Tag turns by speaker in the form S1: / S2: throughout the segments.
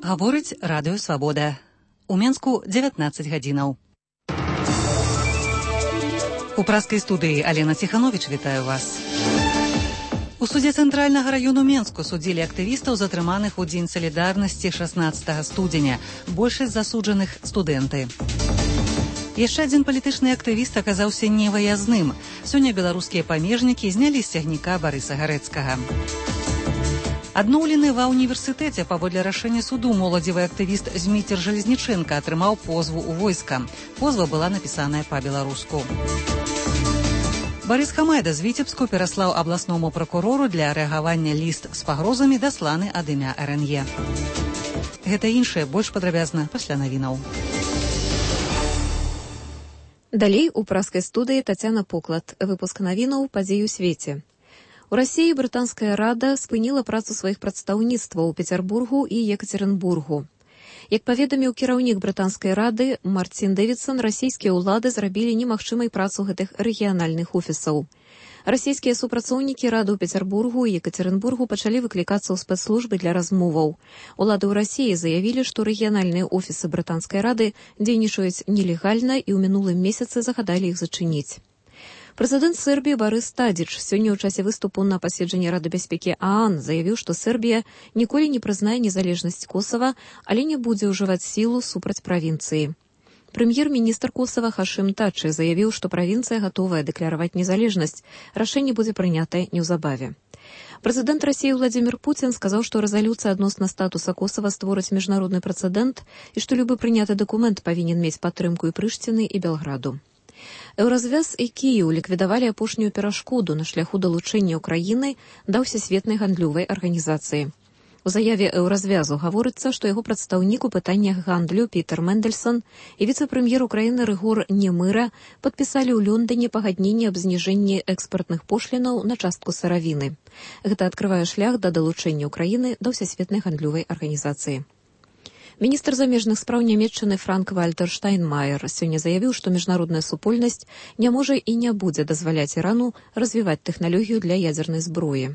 S1: Гаворыць радыё «Свабода». У Менску 19 гадзінаў. У праскай студыі Алена Ціхановіч вітаю вас. У судзе Цэнтральнага раёну Менску судзілі актывістаў, затрыманых у дзень салідарнасці 16 студзеня. Большасць засуджаных студэнты. Яшчэ адзін палітычны актывіст аказаўся невыязным. Сёння беларускія памежнікі знялі з цягніка Барыса Гарэцкага. Адноўлены ва ўніверсітэце паводле рашэння суду моладзевы актывіст Зміцер Жалезнічэнка атрымаў позву ў войска. Позва была напісаная па-беларуску. Барыс Хамайда з Віцебску пераслаў абласному пракурору для рэагавання ліст з пагрозамі, дасланы ад імя РНЕ. Гэта іншае больш падрабязна пасля навінаў.
S2: Далей у праскай студыі Тацяна Поклад. Выпуск навінаў падзей у свеце. У Расіі брытанская рада спыніла працу сваіх прадстаўніцтваў у Пецярбургу і Екацерынбургу. Як паведаміў кіраўнік брытанскай рады Марцін Дэвідсон, расійскія ўлады зрабілі немагчымай працу гэтых рэгіянальных офісаў. Расійскія супрацоўнікі рады ў Пецярбургу і Екацерынбургу пачалі выклікацца ў спецслужбы для размоваў. Улады ў Расіі заявілі, што рэгіянальныя офісы брытанскай рады дзейнічаюць нелегальна і ў мінулым месяцы загадалі іх зачыніць. Прэзідэнт Сербіі Барыс Тадзіч сёння ў часе выступу на паседжанні Рады бяспекі ААН заявіў, што Сербія ніколі не прызнае незалежнасць Косава, але не будзе ўжываць сілу супраць правінцыі. Прэм'ер-міністр Косава Хашым Тачы заявіў, што правінцыя гатовая дэкляраваць незалежнасць. Рашэнне будзе прынятае неўзабаве. Прэзідэнт Расіі Владзімір Пуцін сказаў, што рэзалюцыя адносна статуса Косава створыць міжнародны прэцэдэнт і што любы прыняты дакумент павінен мець падтрымку і Прыштыны, і Белграду. Еўразвяз і Кіеў ліквідавалі апошнюю перашкоду на шляху далучэння ўкраіны да ўсесветнай гандлёвай арганізацыі. У заяве Еўразвязу гаворыцца, што яго прадстаўнік у пытаннях гандлю Пітер Мэндельсон і віцэ-прэм'ер Украіны Рыгор Немыра падпісалі ў Лондоне пагадненне аб зніжэнні экспартных пошлінаў на частку сыравіны. Гэта адкрывае шлях да далучэння ўкраіны да ўсесветнай гандлёвай арганізацыі. Міністр замежных спраў Нямецчыны Франк-Вальтер Штайнмаер сёння заявіў, што міжнародная супольнасць не можа і не будзе дазваляць Ірану развіваць тэхналогію для ядзернай зброі.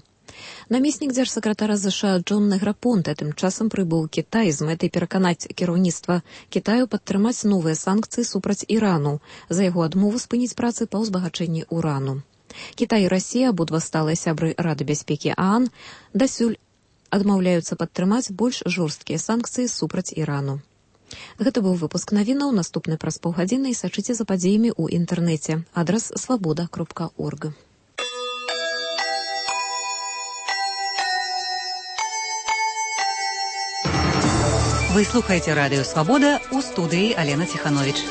S2: Намеснік дзяржсакратара ЗША Джон Неграпонте тым часам прыбыў у Кітай з мэтай пераканаць кіраўніцтва Кітаю падтрымаць новыя санкцыі супраць Ірану за яго адмову спыніць працы па ўзбагачэнні урану. Кітай і Расія, абодва сталыя сябры Рады бяспекі ААН, дасюль адмаўляюцца падтрымаць больш жорсткія санкцыі супраць Ірану. Гэта быў выпуск навінаў, наступны праз паўгадзіны, і сачыце за падзеямі ў інтэрнэце. Адрас свабода.орг.
S1: Вы слухаеце радыё «Свабода», у студыі Алена Ціхановіч.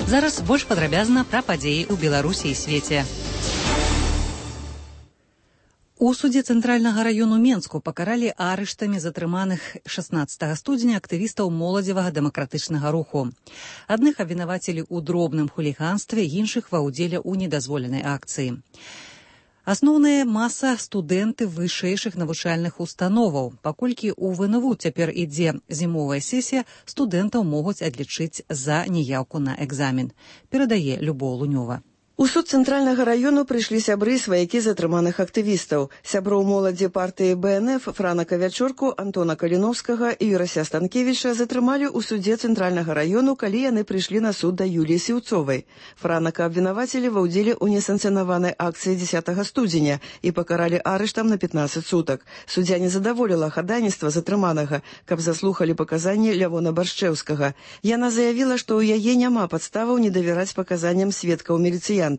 S1: Зараз больш падрабязна пра падзеі ў Беларусі і свеце. У судзе Цэнтральнага раёну Менску пакаралі арыштамі затрыманых 16 студзеня актывістаў моладзевага дэмакратычнага руху. Адных абвінавацілі ў дробным хуліганстве, іншых ва ўдзеле ў недазволенай акцыі. Асноўная маса студэнты вышэйшых навучальных установаў. Паколькі ў ВНВ цяпер ідзе зімовая сесія, студэнтаў могуць адлічыць за неяўку на экзамен. Перадае Любоў Лунёва.
S3: У суд Цэнтральнага раёну прыйшлі сябры і сваякі затрыманых актывістаў. Сяброў моладзі партыі БНФ Франака Вячорку, Антона Каліновскага і Юрася Станкевіча затрымалі ў судзе Цэнтральнага раёну, калі яны прыйшлі на суд да Юліі Сіўцовай. Франака абвінавацілі ва ўдзеле ў несанкцыянаванай акцыі 10 студзеня і пакаралі арыштам на 15 сутак. Суддзя не задаволіла хадайніцтва затрыманага, каб заслухалі паказанні Лявона Баршчэўскага. Яна заявіла, што ў яе няма падставаў не давяраць паказанням сведкаў міліцыянтаў.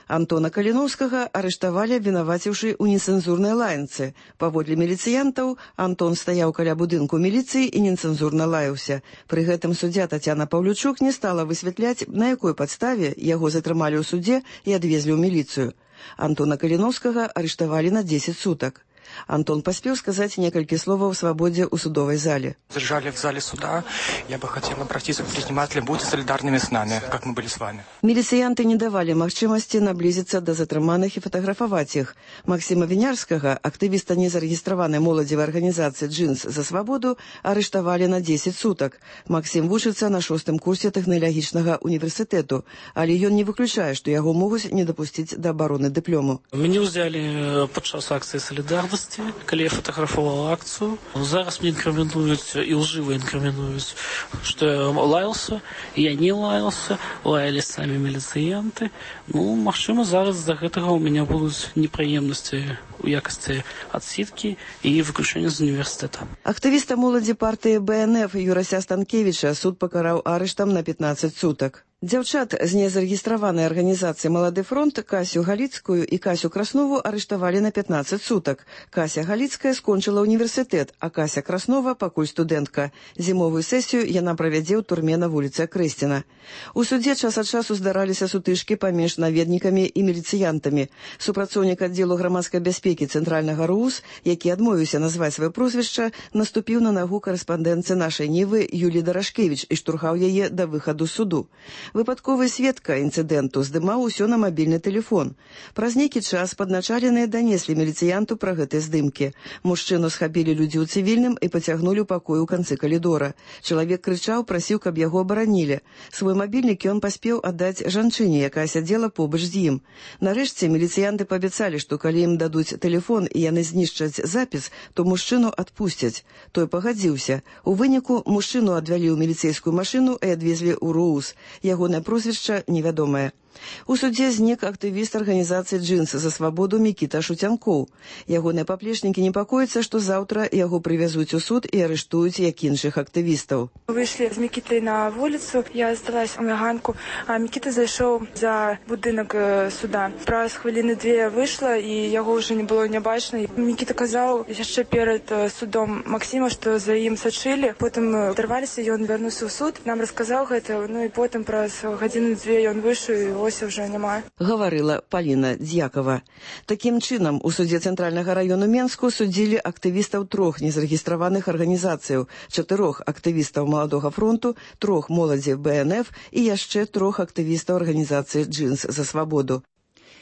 S3: Антона Каліновскага арыштавалі, абвінаваціўшы ў нецэнзурнай лаянцы. Паводле міліцыянтаў, Антон стаяў каля будынку міліцыі і нецэнзурна лаяўся. Пры гэтым суддзя Тацяна Паўлючук не стала высвятляць, на якой падставе яго затрымалі ў судзе і адвезлі ў міліцыю. Антона Каліновскага арыштавалі на 10 сутак. Антон паспеў сказаць некалькі словаў свабодзе ў судовай зале.
S4: Задержали в зале суда. Я бы хотел обратиться к предпринимателям. Будьте солидарными с нами, как мы были с вами.
S3: Міліцыянты не давалі магчымасці наблізіцца да затрыманых і фатаграфаваць іх. Максіма Вінярскага, актывіста незарэгістраванай моладзевай арганізацыі «Джинс за свабоду», арыштавалі на 10 сутак. Максім вучыцца на 6-м курсе тэхналагічнага універсітэту, але ён не выключае, што яго могуць не дапусціць да абароны дыплому.
S5: Мяне ўзялі падчас акцыі салідарнасці, калі я фатаграфаваў акцыю. Зараз мне інкрымінуюць і лжыва інкрымінуюць, што я лаялся, я не лаялся, лаялі самі міліцыянты. Магчыма, зараз з-за гэтага ў мяне будуць непрыемнасці у якасці адсідкі і выключэння з універсітэта.
S3: Актывіста моладзі партыі БНФ Юрася Станкевіча суд пакараў арыштам на 15 сутак. Дзяўчат з незарэгістраванай арганізацыі «Малады фронт» Касю Галіцкую і Касю Краснову арыштавалі на 15 сутак. Кася Галіцкая скончыла універсітэт, а Кася Краснова пакуль студэнтка. Зімовую сесію яна правядзе ў турме на вуліцы Акрэсціна. У судзе час ад часу здараліся сутычкі паміж наведнікамі і міліцыянтамі. Супрацоўнік аддзелу грамадскай бяспекі Цэнтральнага РУС, які адмовіўся назваць сваё прозвішча, наступіў на нагу карэспандэнтцы нашай Нівы Юлі Дарашкевіч і штурхаў яе да выхаду з суду. Выпадковы сведка інцыдэнту здымаў усё на мабільны тэлефон. Праз нейкі час падначаленыя данеслі міліцыянту пра гэтыя здымкі. Мужчыну схапілі людзі ў цывільным і пацягнулі ў пакой у канцы калідора. Чалавек крычаў, прасіў, каб яго абаранілі. Свой мабільнік ён паспеў аддаць жанчыне, якая сядзела побач з ім. Нарэшце міліцыянты паабяцалі, што калі ім дадуць тэлефон і яны знішчаць запіс, то мужчыну адпусцяць. Той пагадзіўся. У выніку мужчыну адвялі ў міліцэйскую машыну і адвезлі ў РУС. Ягонае прозвішча невядомае. У судзе знік актывіст арганізацыі «Джинс за свабоду» Мікіта Шуцянкоў. Ягоныя паплечнікі непакояцца, што заўтра яго прывязуць у суд і арыштуюць, як іншых актывістаў.
S6: Вышли з Мікітай на вуліцу, я асталась на ганку, а Мікіта зайшоў за будынак суда. Праз хвіліны 2 выйшла, і яго ўжо не было не бачна. Мікіта казаў яшчэ перад судом Максіма, што за ім сачылі. Потым дарваліся, ён вярнуўся ў суд, нам расказаў гэта, і потым праз гадзіны 2 ён выйшаў, і ось уже няма.
S3: Гаварыла Паліна Дзякова. Такім чынам, у судзе Цэнтральнага раёну Менску судзілі актывістаў 3 незарэгістраваных арганізацыяў, 4 актывістаў Маладога фронту, 3 моладзі БНФ і яшчэ 3 актывістаў арганізацыі «Джинс за свабоду».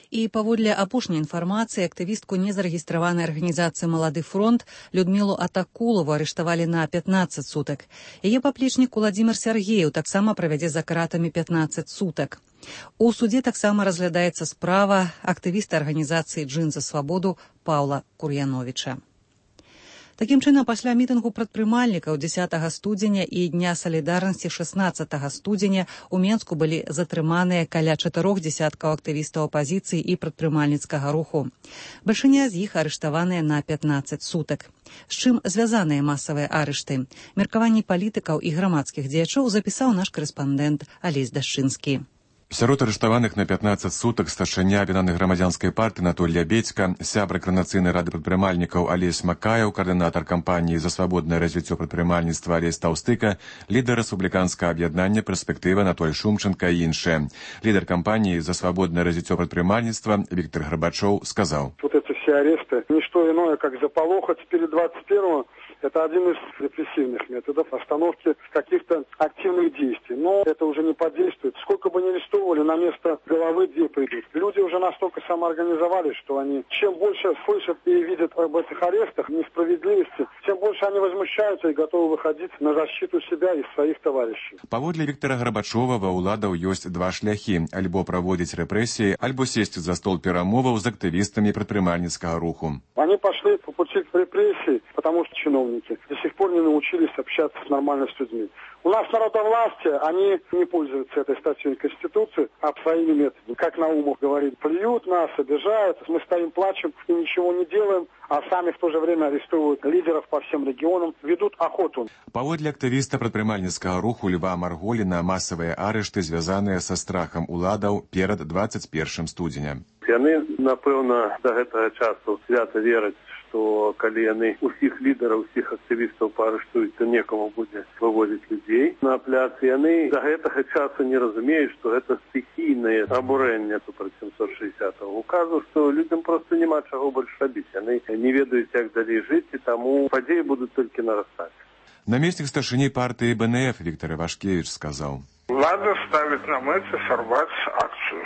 S1: І паводле апошняй інфармацыі актывістку незарэгістраванай арганізацыі «Малады фронт» Людмілу Атакулову арыштавалі на 15 сутак. Яе паплечнік Уладзімір Сяргеев таксама правядзе за кратамі 15 сутак. У судзе таксама разглядаецца справа актывіста арганізацыі «Джинс за свабоду» Паўла Кур'яновіча. Такім чынам, пасля мітынгу прадпрымальнікаў 10 студзеня і Дня салідарнасці 16 студзеня у Менску былі затрыманыя каля 4 дзесяткаў актывістаў апазіцыі і прадпрымальніцкага руху. Бальшыня з іх арыштаваныя на 15 сутак. З чым звязаныя масавыя арышты? Меркаванні палітыкаў і грамадскіх дзеячоў запісаў наш карэспандэнт Алесь Дашчынскі.
S7: Сярод арыштаваных на 15 сутак старшыня аб'яднанай грамадзянскай партыі Анатоль Лябедзька, сябра Коардынацыйнай рады прадпрымальнікаў Алесь Макаеў, каардынатар кампаніі за свабоднае развіццё прадпрымальніцтва Алесь Таўстыка, лідар рэспубліканскага аб'яднання «Перспектыва» Анатоль Шумченка і іншыя. Лідар кампаніі за свабодное развіццё прадпрымальніцтва Віктор Гарбачоў сказаў:
S8: Вот эти все аресты, не что иное, как заполохать перед 21-го. Это один из репрессивных методов остановки каких-то активных действий. Но это уже не подействует. Сколько бы ни арестовывали, на место головы 2 придут. Люди уже настолько самоорганизовались, что они чем больше слышат и видят об этих арестах, несправедливости, тем больше они возмущаются и готовы выходить на защиту себя и своих товарищей.
S7: Паводле Віктора Гарбачова ва ўладаў ёсць 2 шляхі: альбо праводзіць рэпрэсіі, альбо сесці за стол перамоваў з актывістамі прадпрымальніцкага руху.
S8: Они пошли по пути репрессий, потому что чиновники до сих пор не научились общаться с нормально с людьми. У нас народовластие, они не пользуются этой статьей Конституции, а своими методами. Как Наумов говорит, плюют нас, обижают, мы стоим, плачем и ничего не делаем, а сами в то же время арестовывают лидеров по всем регионам, ведут охоту.
S7: Паводле актывіста прадпрымальніцкага руху Льва Марголіна, масавыя арышты звязаныя са страхам уладаў перад 21 студзеня.
S9: Яны, напэўна, да гэтага часу свята вераць, што калі яны усіх лідараў, усіх актывістаў паарыштуюць, то некаму будзе вывозіць людзей на пляц. Яны да гэтага часу не разумеюць, што гэта стыхійнае абурэнне супраць 760-го указу, што людзям проста няма чаго больш рабіць. Яны не ведаюць, як далей жыць, і таму падзеі будуць толькі нарастаць.
S7: Намеснік старшыні партыі БНФ Віктор Івашкевіч сказаў:
S10: Влада ставіць на мэце сарваць акцыю,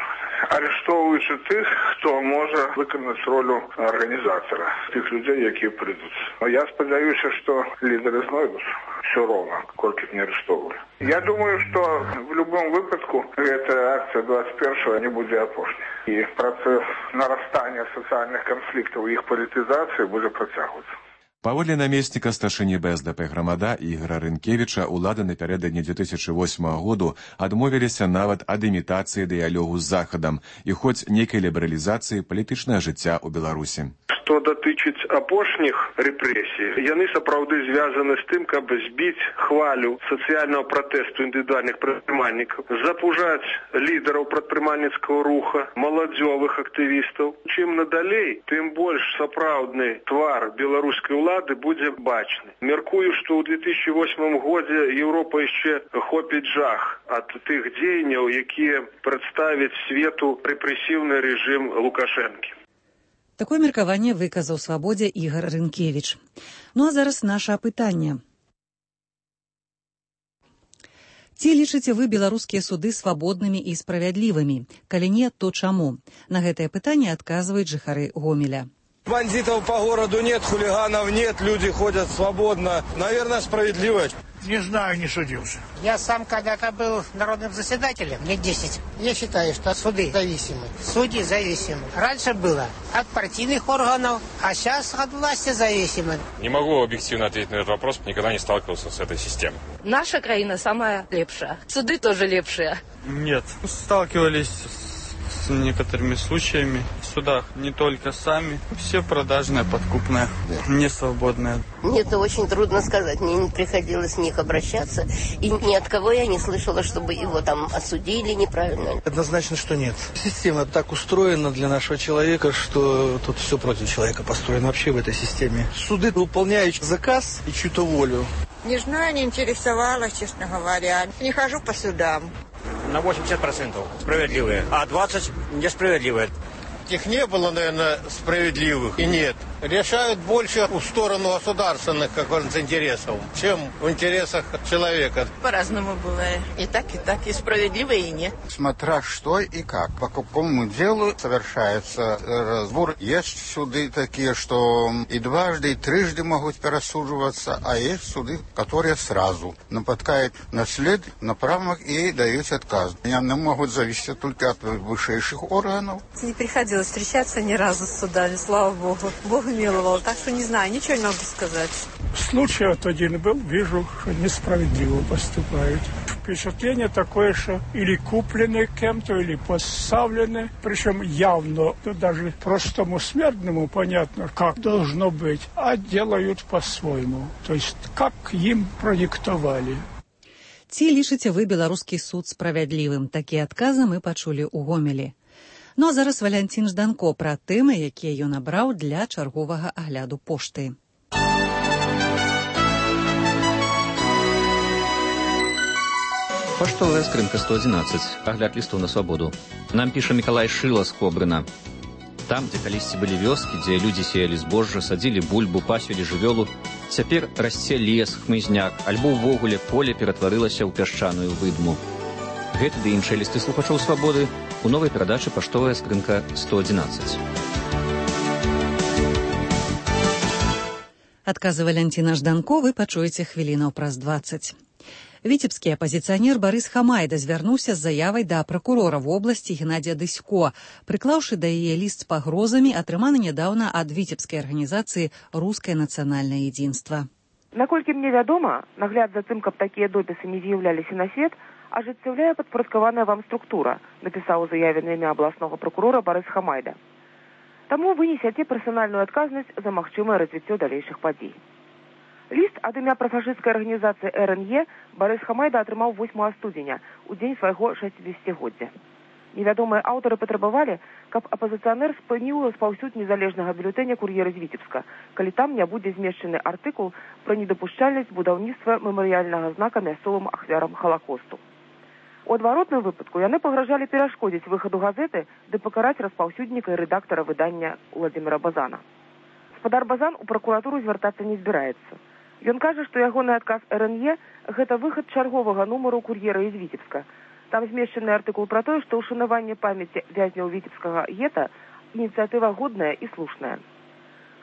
S10: арыштоўваючы тых, хто можа выканаць ролю арганізатара, тых людзей, якія прыйдуць. Я спадзяюся, што лідары знойдуць все роўна, колькі б не арыштоўвалі. Я думаю, што в любом выпадку гэтая акцыя 21-го не будзе апошняй. І працэс нарастання сацыяльных канфліктаў і іх палітызацыі будзе працягвацца.
S7: Паводле намесніка старшыні БСДП Грамада Ігора Рынкевіча, улады напярэдадні 2008 году адмовіліся нават ад імітацыі дыялогу з Захадам і хоць нейкай лібералізацыі палітычнага жыцця ў Беларусі.
S10: Што датычыць апошніх рэпрэсій, яны сапраўды звязаны з тым, каб збіць хвалю сацыяльнага пратэсту індывідуальных прадпрымальнікаў, запужаць лідараў прадпрымальніцкага руха, маладзёвых актывістаў. Чым надалей, тым больш сапраўдны твар беларускай улады будзе бачны. Мяркую, што ў 2008 годзе Еўропа яшчэ хопіць жах ад тых дзеянняў, якія прадставяць свету рэпрэсіўны рэжым Лукашэнкі.
S1: Такое меркаванне выказаў Свабодзе Ігор Рынкевіч. Ну а зараз наша апытанне. Ці лічыце вы беларускія суды свабоднымі і справядлівымі? Калі не, то чаму? На гэтае пытанне адказваюць жыхары Гомеля.
S11: Бандитов по городу нет, хулиганов нет, люди ходят свободно. Наверное, справедливо.
S12: Не знаю, не судился. Я сам когда-то был народным заседателем, лет 10. Я считаю, что суды зависимы. Судьи зависимы. Раньше было от партийных органов, а сейчас от власти зависимы.
S13: Не могу объективно ответить на этот вопрос, никогда не сталкивался с этой системой.
S14: Наша краина самая лепшая. Суды тоже лепшие.
S15: Нет. Сталкивались с некоторыми случаями в судах. Не только сами. Все продажные, подкупные, не свободные.
S16: Мне это очень трудно сказать. Мне не приходилось в них обращаться. И ни от кого я не слышала, чтобы его там осудили неправильно.
S11: Однозначно, что нет. Система так устроена для нашего человека, что тут все против человека построено вообще в этой системе. Суды выполняют заказ и чью-то волю.
S17: Не знаю, не интересовалась, честно говоря. Не хожу по судам.
S18: На 80% справедливые, а 20% несправедливые.
S19: Их не было, наверное, справедливых и нет. Решают больше в сторону государственных каких-то интересов, чем в интересах человека.
S17: По-разному бывает. И так, и справедливо, и нет.
S20: Смотря что и как. По какому делу совершается разбор. Есть суды такие, что и дважды, и трижды могут пересуживаться, а есть суды, которые сразу нападают на след, на правах и дают отказ. Они могут зависеть только от высших органов.
S21: Не приходилось встречаться ни разу с судами, слава Богу. Бог миловал, так что не знаю, ничего не могу сказать.
S12: Случай вот один был, вижу, что несправедливо поступают. Впечатление такое, что или куплены кем-то, или поставлены, причем явно, даже простому смертному понятно, как должно быть, а делают по-своему. То есть, как им продиктовали.
S1: Ці лічыце вы беларускі суд справядлівым? Такія адказы мы пачулі ў Гомелі. Ну а зараз Валянцін Жданко пра тэмы, якія ён абраў для чарговага агляду пошты.
S22: Паштовая скрынка 111. Агляд лістоў на свабоду. Нам піша Мікалай Шыла з Кобрына. Там, дзе калісьці былі вёскі, дзе людзі сеялі збожжа, садзілі бульбу, пасвілі жывёлу, цяпер расце лес, хмызняк, альбо ўвогуле поле ператварылася ў пясчаную выдму. Гэты ды іншыя лісты слухачоў свабоды у новай перадачы «Паштовая скрынка 111».
S1: Адказы Валянціна Жданко вы пачуеце хвілінаў праз 20. Віцебскі апазіцыянер Барыс Хамайда звярнуўся з заявай да пракурора вобласці Геннадзія Дысько, прыклаўшы да яе ліст з пагрозамі, атрыманы нядаўна ад віцебскай арганізацыі «Рускае нацыянальнае едзінства».
S23: Наколькі мне вядома, нагляд за тым, каб такія допісы не з'яўляліся на свет, ажыццяўляе падпарадкаваная вам структура, напісаў у заяве на імя абласнога пракурора Барыс Хамайда. Таму вы несяце персанальную адказнасць за магчымае развіццё далейшых падзей. Ліст ад імя прафашысцкай арганізацыі РНЕ Барыс Хамайда атрымаў 8 студзеня, у дзень свайго 60-годдзя. Невядомыя аўтары патрабавалі, каб апазіцыянер спыніў распаўсюд незалежнага бюлетэня «Кур'ера з Віцебска», калі там не будзе змешчаны артыкул пра недапушчальнасць будаўніцтва мемарыяльнага знака мясцовым ахвярам Халакосту. У адваротным выпадку яны пагражалі перашкодзіць выхаду газеты ды пакараць распаўсюдніка і рэдактара выдання Владзіміра Базана. Гаспадар Базан у пракуратуру звяртацца не збіраецца. Ён кажа, што ягоны адказ РНЕ – гэта выхад чарговага нумару «Кур'ера з Віцебска». Там змешчаны артыкул пра тое, што ўшанаванне памяці вязняў віцебскага гета – ініцыятыва годная і слушная.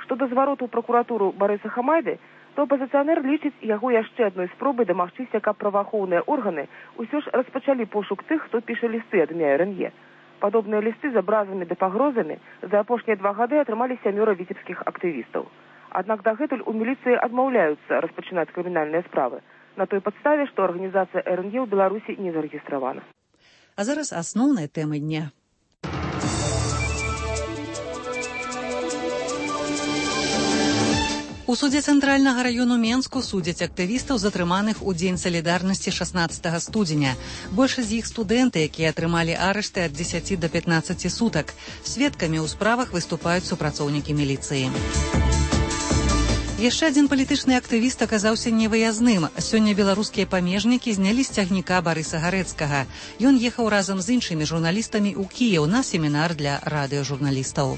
S23: Што да звароту ў пракуратуру Барыса Хамайды, то апазіцыянер лічыць яго яшчэ адной спробай дамагчыся, каб праваахоўныя органы ўсё ж распачалі пошук тых, хто піша лісты ад імя РНЕ. Падобныя лісты з абразамі ды пагрозамі за апошнія 2 гады атрымалі 7 віцебскіх актывістаў. Аднак дагэтуль у міліцыі адмаўляюцца распачынаць крымінальныя справы на той падставе, што арганізацыя РНЕ ў Беларусі не зарэгістравана.
S1: А зараз асноўныя тэмы дня. У судзе Цэнтральнага раёну Менску судзяць актывістаў, затрыманых у дзень салідарнасці 16 студзеня. Большасць з іх студэнты, якія атрымалі арышты ад 10 до 15 сутак. Сведкамі ў справах выступаюць супрацоўнікі міліцыі. Яшчэ адзін палітычны актывіст аказаўся невыязным. Сёння беларускія памежнікі знялі з цягніка Барыса Гарэцкага. Ён ехаў разам з іншымі журналістамі ў Кіеў на семінар для радыёжурналістаў.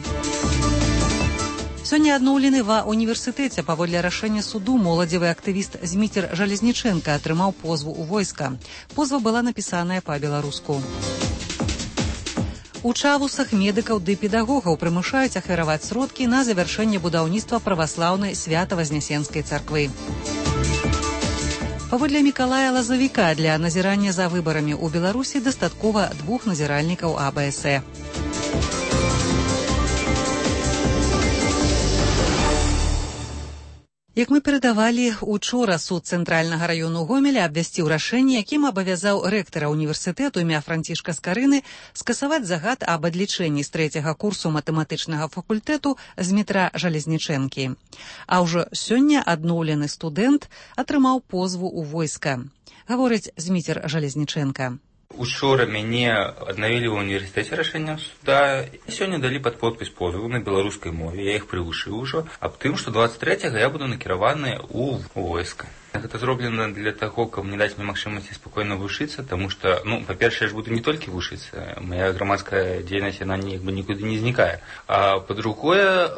S1: Сёння адноўлены ва універсітэце паводле рашэння суду моладзевы актывіст Зміцер Жалезнічэнка атрымаў позву ў войска. Позва была напісаная па-беларуску. У Чавусах медыкаў ды педагогаў прымушаюць ахвяраваць сродкі на завяршэнне будаўніцтва праваслаўнай Свята-Вазнесенскай царквы. Паводле Мікалая Лазавіка для назірання за выбарамі ў Беларусі дастаткова 2 назіральнікаў АБСЭ. Як мы перадавалі, учора суд Цэнтральнага раёну Гомеля абвясціў рашэнне, якім абавязаў рэктара універсітэту імя Францішка Скарыны скасаваць загад аб адлічэнні з 3-го курсу матэматычнага факультэту Змітра Жалезнічэнкі. А ўжо сёння адноўлены студэнт атрымаў позву ў войска. Гаворыць Зміцер Жалезнічэнка.
S2: Учора мяне аднавілі ў універсітэце рашэннем суда. Сёння далі пад подпіс позову на беларускай мове. Я іх прывучыў ужо аб тым, што 23-го я буду накіраваны ў войска. Гэта зроблена для таго, каб не даць мне магчымасці спакойна вучыцца, таму што, па-першае, я ж буду не толькі вучыцца. Мая грамадская дзейнасць, яна нікуды не знікае. А па-другое,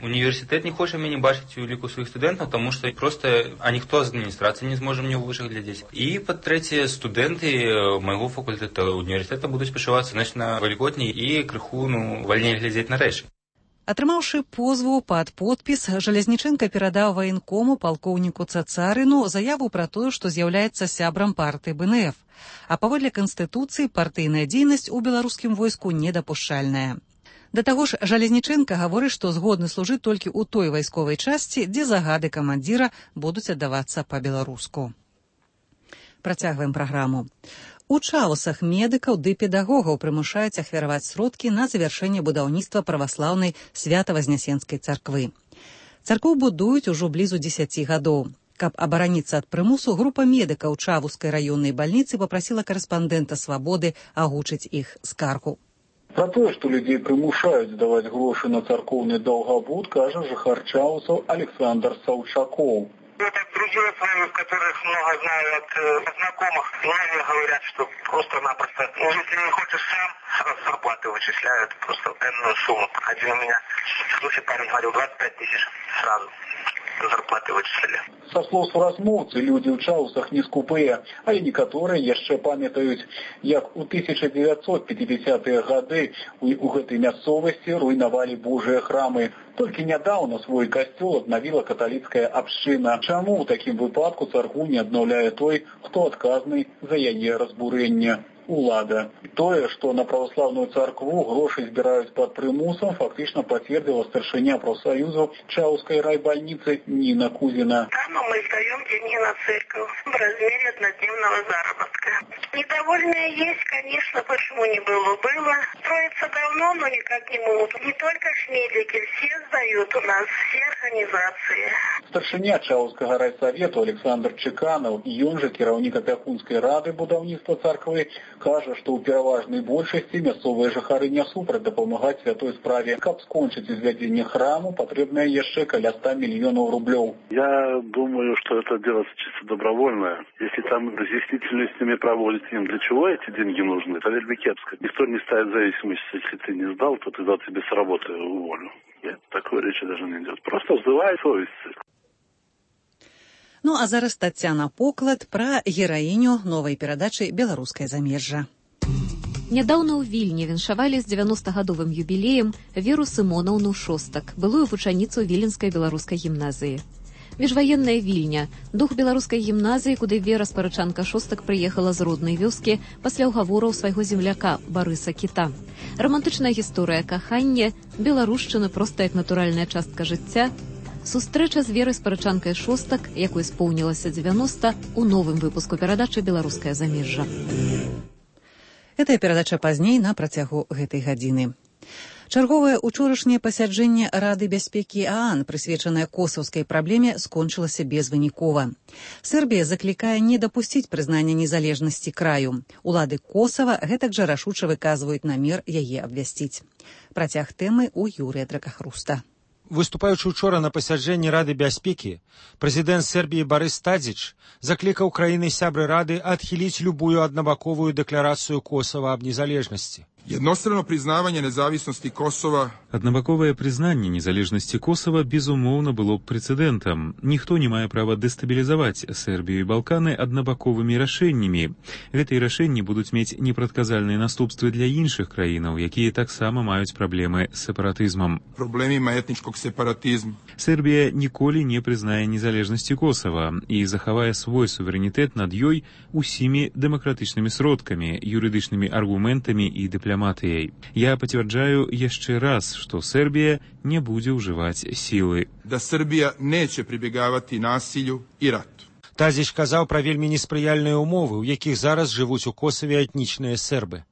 S2: універсітэт не хоча мяне бачыць у ліку сваіх студэнтаў, таму што проста ніхто з адміністрацыі не зможа мне ў вышах глядзець. І, па-трэцяе, студэнты майго факультэта універсітэта будуць пачувацца значна вальготней і крыху вальней глядзець на рэчы.
S1: Атрымаўшы позву пад подпіс, Жалезнічэнка перадаў ваенкому палкоўніку Цацарыну заяву пра тое, што з'яўляецца сябрам партыі БНФ. А паводле Канстытуцыі партыйная дзейнасць у беларускім войску недапушчальная. Да таго ж, Жалезнічэнка гаворыць, што згодны служыць толькі ў той вайсковай часці, дзе загады камандзіра будуць аддавацца па-беларуску. Працягваем праграму. У Чавусах медыкаў ды педагогаў прымушаюць ахвяраваць сродкі на завяршэнне будаўніцтва праваслаўнай Свята-Вазнесенскай царквы. Царкву будуюць ужо блізу 10 гадоў. Каб абараніцца ад прымусу, група медыкаў Чавускай раённай бальніцы папрасіла карэспандэнта «Свабоды» агучыць іх скаргу.
S4: Про тое, што людзей прымушаюць даваць грошы на царкоўны даўгабуд, кажа жыхар Чаусаў Александр Саўчакоў.
S5: Это друзья с вами, которых много знаю от знакомых. Многие говорят, что просто-напросто, если не хочешь сам, сразу зарплаты вычисляют, просто энную сумму. Один у меня случай парень говорил, 25 тысяч сразу зарплаты вычислили.
S4: Са слоў суразмоўцы, людзі ў Чаусах не скупыя, але некаторыя яшчэ памятаюць, як у 1950-е гады у гэтай мясцовасці руйнавалі Божыя храмы. Толькі нядаўна свой касцёл аднавіла каталіцкая абшчына. Чаму ў такім выпадку царкву не аднаўляе той, хто адказны за яе разбурэнне? Улада. Тое, што на праваслаўную царкву грошы збіраюць пад прымусам, фактычна пацвердзіла старшыня профсоюзу Чаўскай райбольницы Нина Кузина.
S5: Там мы сдаем деньги на церковь в размере однодневного заработка. Недовольные есть, конечно, почему не было. Было. Строится давно, но никак не могут. Не только медики, все сдают у нас, все организации.
S4: Старшыня Чаўскага райсавету Александр Чеканов, і ён жа кіраўнік апякунскай рады будаўніцтва царквы, кажа, што ў пераважнай большасці мясцовыя жыхары не супраць дапамагаць святой справе. Каб скончыць узвядзенне храму, патрэбна яшчэ каля 100 миллионов рублей.
S3: Я думаю, что это дело чисто добровольное. Если там разъяснительную с ними проводить им, для чего эти деньги нужны, это вельми кепско. Никто не ставит зависимость, если ты не сдал, то тогда тебе с работы уволю. Нет, такой речи даже не идет. Просто вызывай совесть.
S1: Ну а зараз Тацяна Поклад пра гераіню новай перадачы «Беларускае замежжа».
S6: Нядаўна ў Вільні віншавалі з 90-гадовым юбілеем Веру Сымонаўну Шостак, былую вучаніцу Віленскай беларускай гімназіі. Міжваенная Вільня, дух беларускай гімназіі, куды Вера Спарычанка Шостак прыехала з роднай вёскі пасля ўгавораў свайго земляка Барыса Кіта. Романтычная гісторыя кахання, беларушчына проста як натуральная частка жыцця, сустрэча з Верай Спарычанкай Шостак, якой споўнілася 90, у новым выпуску перадачы «Беларускае замежжа».
S1: Гэтая перадача пазней на працягу гэтай гадзіны. Чарговае учорашняе пасяджэнне Рады бяспекі ААН, прысвечанае косаўскай праблеме, скончылася безвынікова. Сербія заклікае не дапусціць прызнання незалежнасці краю. Улады Косава гэтак жа рашуча выказваюць намер яе абвясціць. Працяг тэмы ў Юрыя Дракахруста.
S8: Выступаючы учора на пасяджэнні Рады бяспекі, прэзідэнт Сербіі Барыс Тадзіч заклікаў краіны-сябры Рады адхіліць любую аднабаковую дэкларацыю Косава аб незалежнасці.
S24: Jednostrano priznavanje nezavisnosti Kosova.
S25: Аднабаковае прызнанне незалежнасці Косава, безумоўна, было б прэцэдэнтам. Ніхто не мае права дэстабілізаваць Сербію і Балканы аднабаковымі рашэннямі. Гэтыя рашэнні будуць мець непрадказальныя наступствы для іншых краінаў, якія таксама маюць праблемы з сепаратызмам.
S24: Проблемima etničkog separatizma.
S25: Сербія ніколі не прызнае незалежнасці Косава і захавае свой суверэнітэт над ёй усімі дэмакратычнымі сродкамі, юрыдычнымі аргументамі і дыпламатыяй. Я пацвярджаю яшчэ раз, што Сербія не будзе ўжываць сілы.
S24: Да Сербія neće pribjegavati nasilju i ratu.
S8: Тадзіч казаў пра вельмі неспрыяльныя ўмовы, у якіх зараз жывуць у Косаве этнічныя сербы.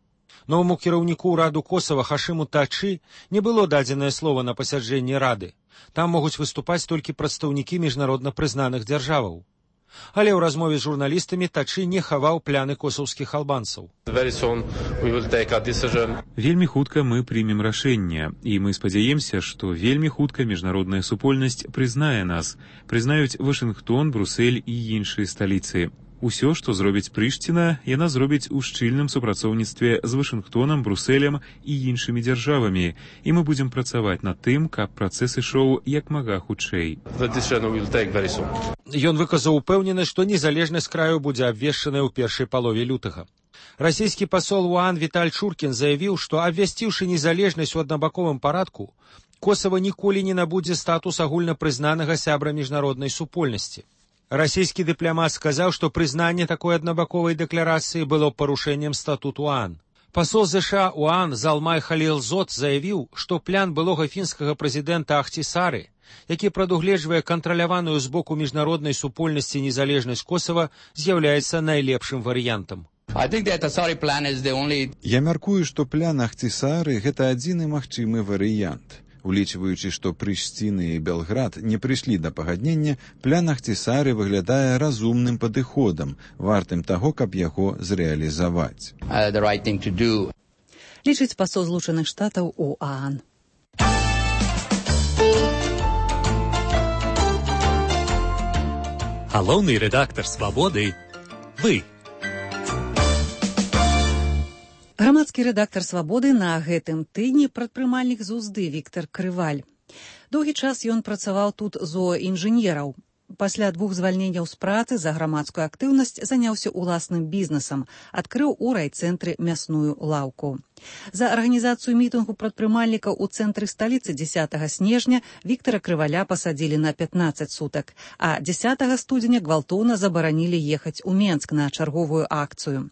S8: Новаму кіраўніку Раду Косава Хашиму Тачы не было дадзенае слова на пасяджэнні Рады. Там могуць выступаць толькі прадстаўнікі міжнародна прызнаных дзяржаваў. Але ў размове з журналістамі Тачы не хаваў пляны косаўскіх албанцаў.
S25: Вельмі хутка мы прымем рашэнне, і мы спадзяемся, што вельмі хутка міжнародная супольнасць прызнае нас, прызнаюць Вашынгтон, Брусэль і іншыя сталіцы. Усё, што зробіць Прыштіна, яна зробіць у шчыльным супрацоўніцтве з Вашынгтонам, Брусэлем і іншымі дзяржавамі, і мы будзем працаваць над тым, каб працэс ішоў як мага хутчэй.
S8: Ён выказаў упэўненасць, што незалежнасць краю будзе абвешчаная ў першай палове лютага. Расійскі пасол у ААН Віталь Чуркін заявіў, што абвясціўшы незалежнасць у аднабаковым парадку, Косава ніколі не набудзе статус агульнапрызнанага сябра міжнароднай супольнасці. Расійскі дыпламат сказаў, што прызнанне такой аднабаковай дэкларацыі было парушэннем статуту ААН. Пасол ЗША у ААН Залмай Халілзот заявіў, што план былога фінскага прэзідэнта Ахтісары, які прадугледжвае кантраляваную з боку міжнароднай супольнасці незалежнасць Косава, з'яўляецца найлепшым варыянтам.
S26: Я мяркую, што план Ахтісары – гэта адзіны магчымы варыянт. Улічваючы, што Прыштіна і Белград не прыйшлі да пагаднення, план Ахтісары выглядае разумным падыходам, вартым таго, каб яго зрэалізаваць.
S1: Лічыць пасол Злучаных Штатаў у ААН.
S27: Галоўны рэдактар «Свабоды» – вы.
S1: Грамадскі рэдактар «Свабоды» на гэтым тыдні прадпрымальнік з Узды Віктар Крываль. Доўгі час ён працаваў тут зооінжынераў. Пасля 2 звальненняў з працы за грамадскую актыўнасць заняўся уласным бізнесам, адкрыў у райцэнтры мясную лаўку. За арганізацыю мітынгу прадпрымальнікаў у цэнтры сталіцы 10 снежня Віктара Крываля пасадзілі на 15 сутак, а 10 студзеня гвалтоўна забаранілі ехаць у Менск на чарговую акцыю.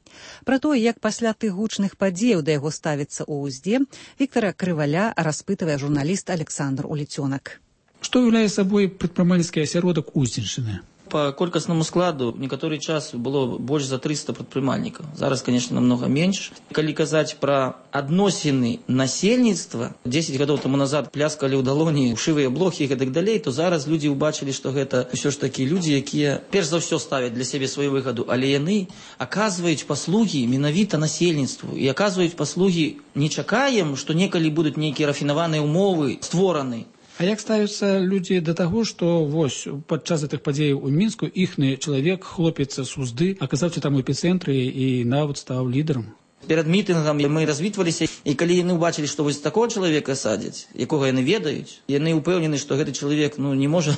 S1: Пра тое, як пасля тых гучных падзеяў да яго ставіцца ў Узде, Віктара Крываля распытывае журналіст Александр Уліцёнак.
S28: Что является собой предпринимательский осяродок Узденщины?
S7: По колькасному складу некаторы час было больш за 300 прадпрымальнікаў. Зараз, конечно, намного менш. Калі казаць пра адносіны насельніцтва, 10 гадоў таму назад пляскалі ў далоні шывыя блохі і гэтак далей, то зараз людзі ўбачылі, што гэта ўсё ж такі людзі, якія перш за ўсё ставяць для сябе сваю выгаду, але яны аказваюць паслугі менавіта насельніцтву і аказваюць паслугі не чакаем, што некалі будуць нейкія рафінаваныя ўмовы створаны.
S9: А як ставяцца людзі да таго, што вось падчас гэтых падзеяў у Мінску іхны чалавек, хлопец з Узды, аказаўся там у эпіцэнтры і нават стаў лідарам?
S7: Перад мітынгам мы развітваліся, і калі яны ўбачылі, што вось такого чалавека садзяць, якога яны ведаюць, яны ўпэўнены, што гэты чалавек не можа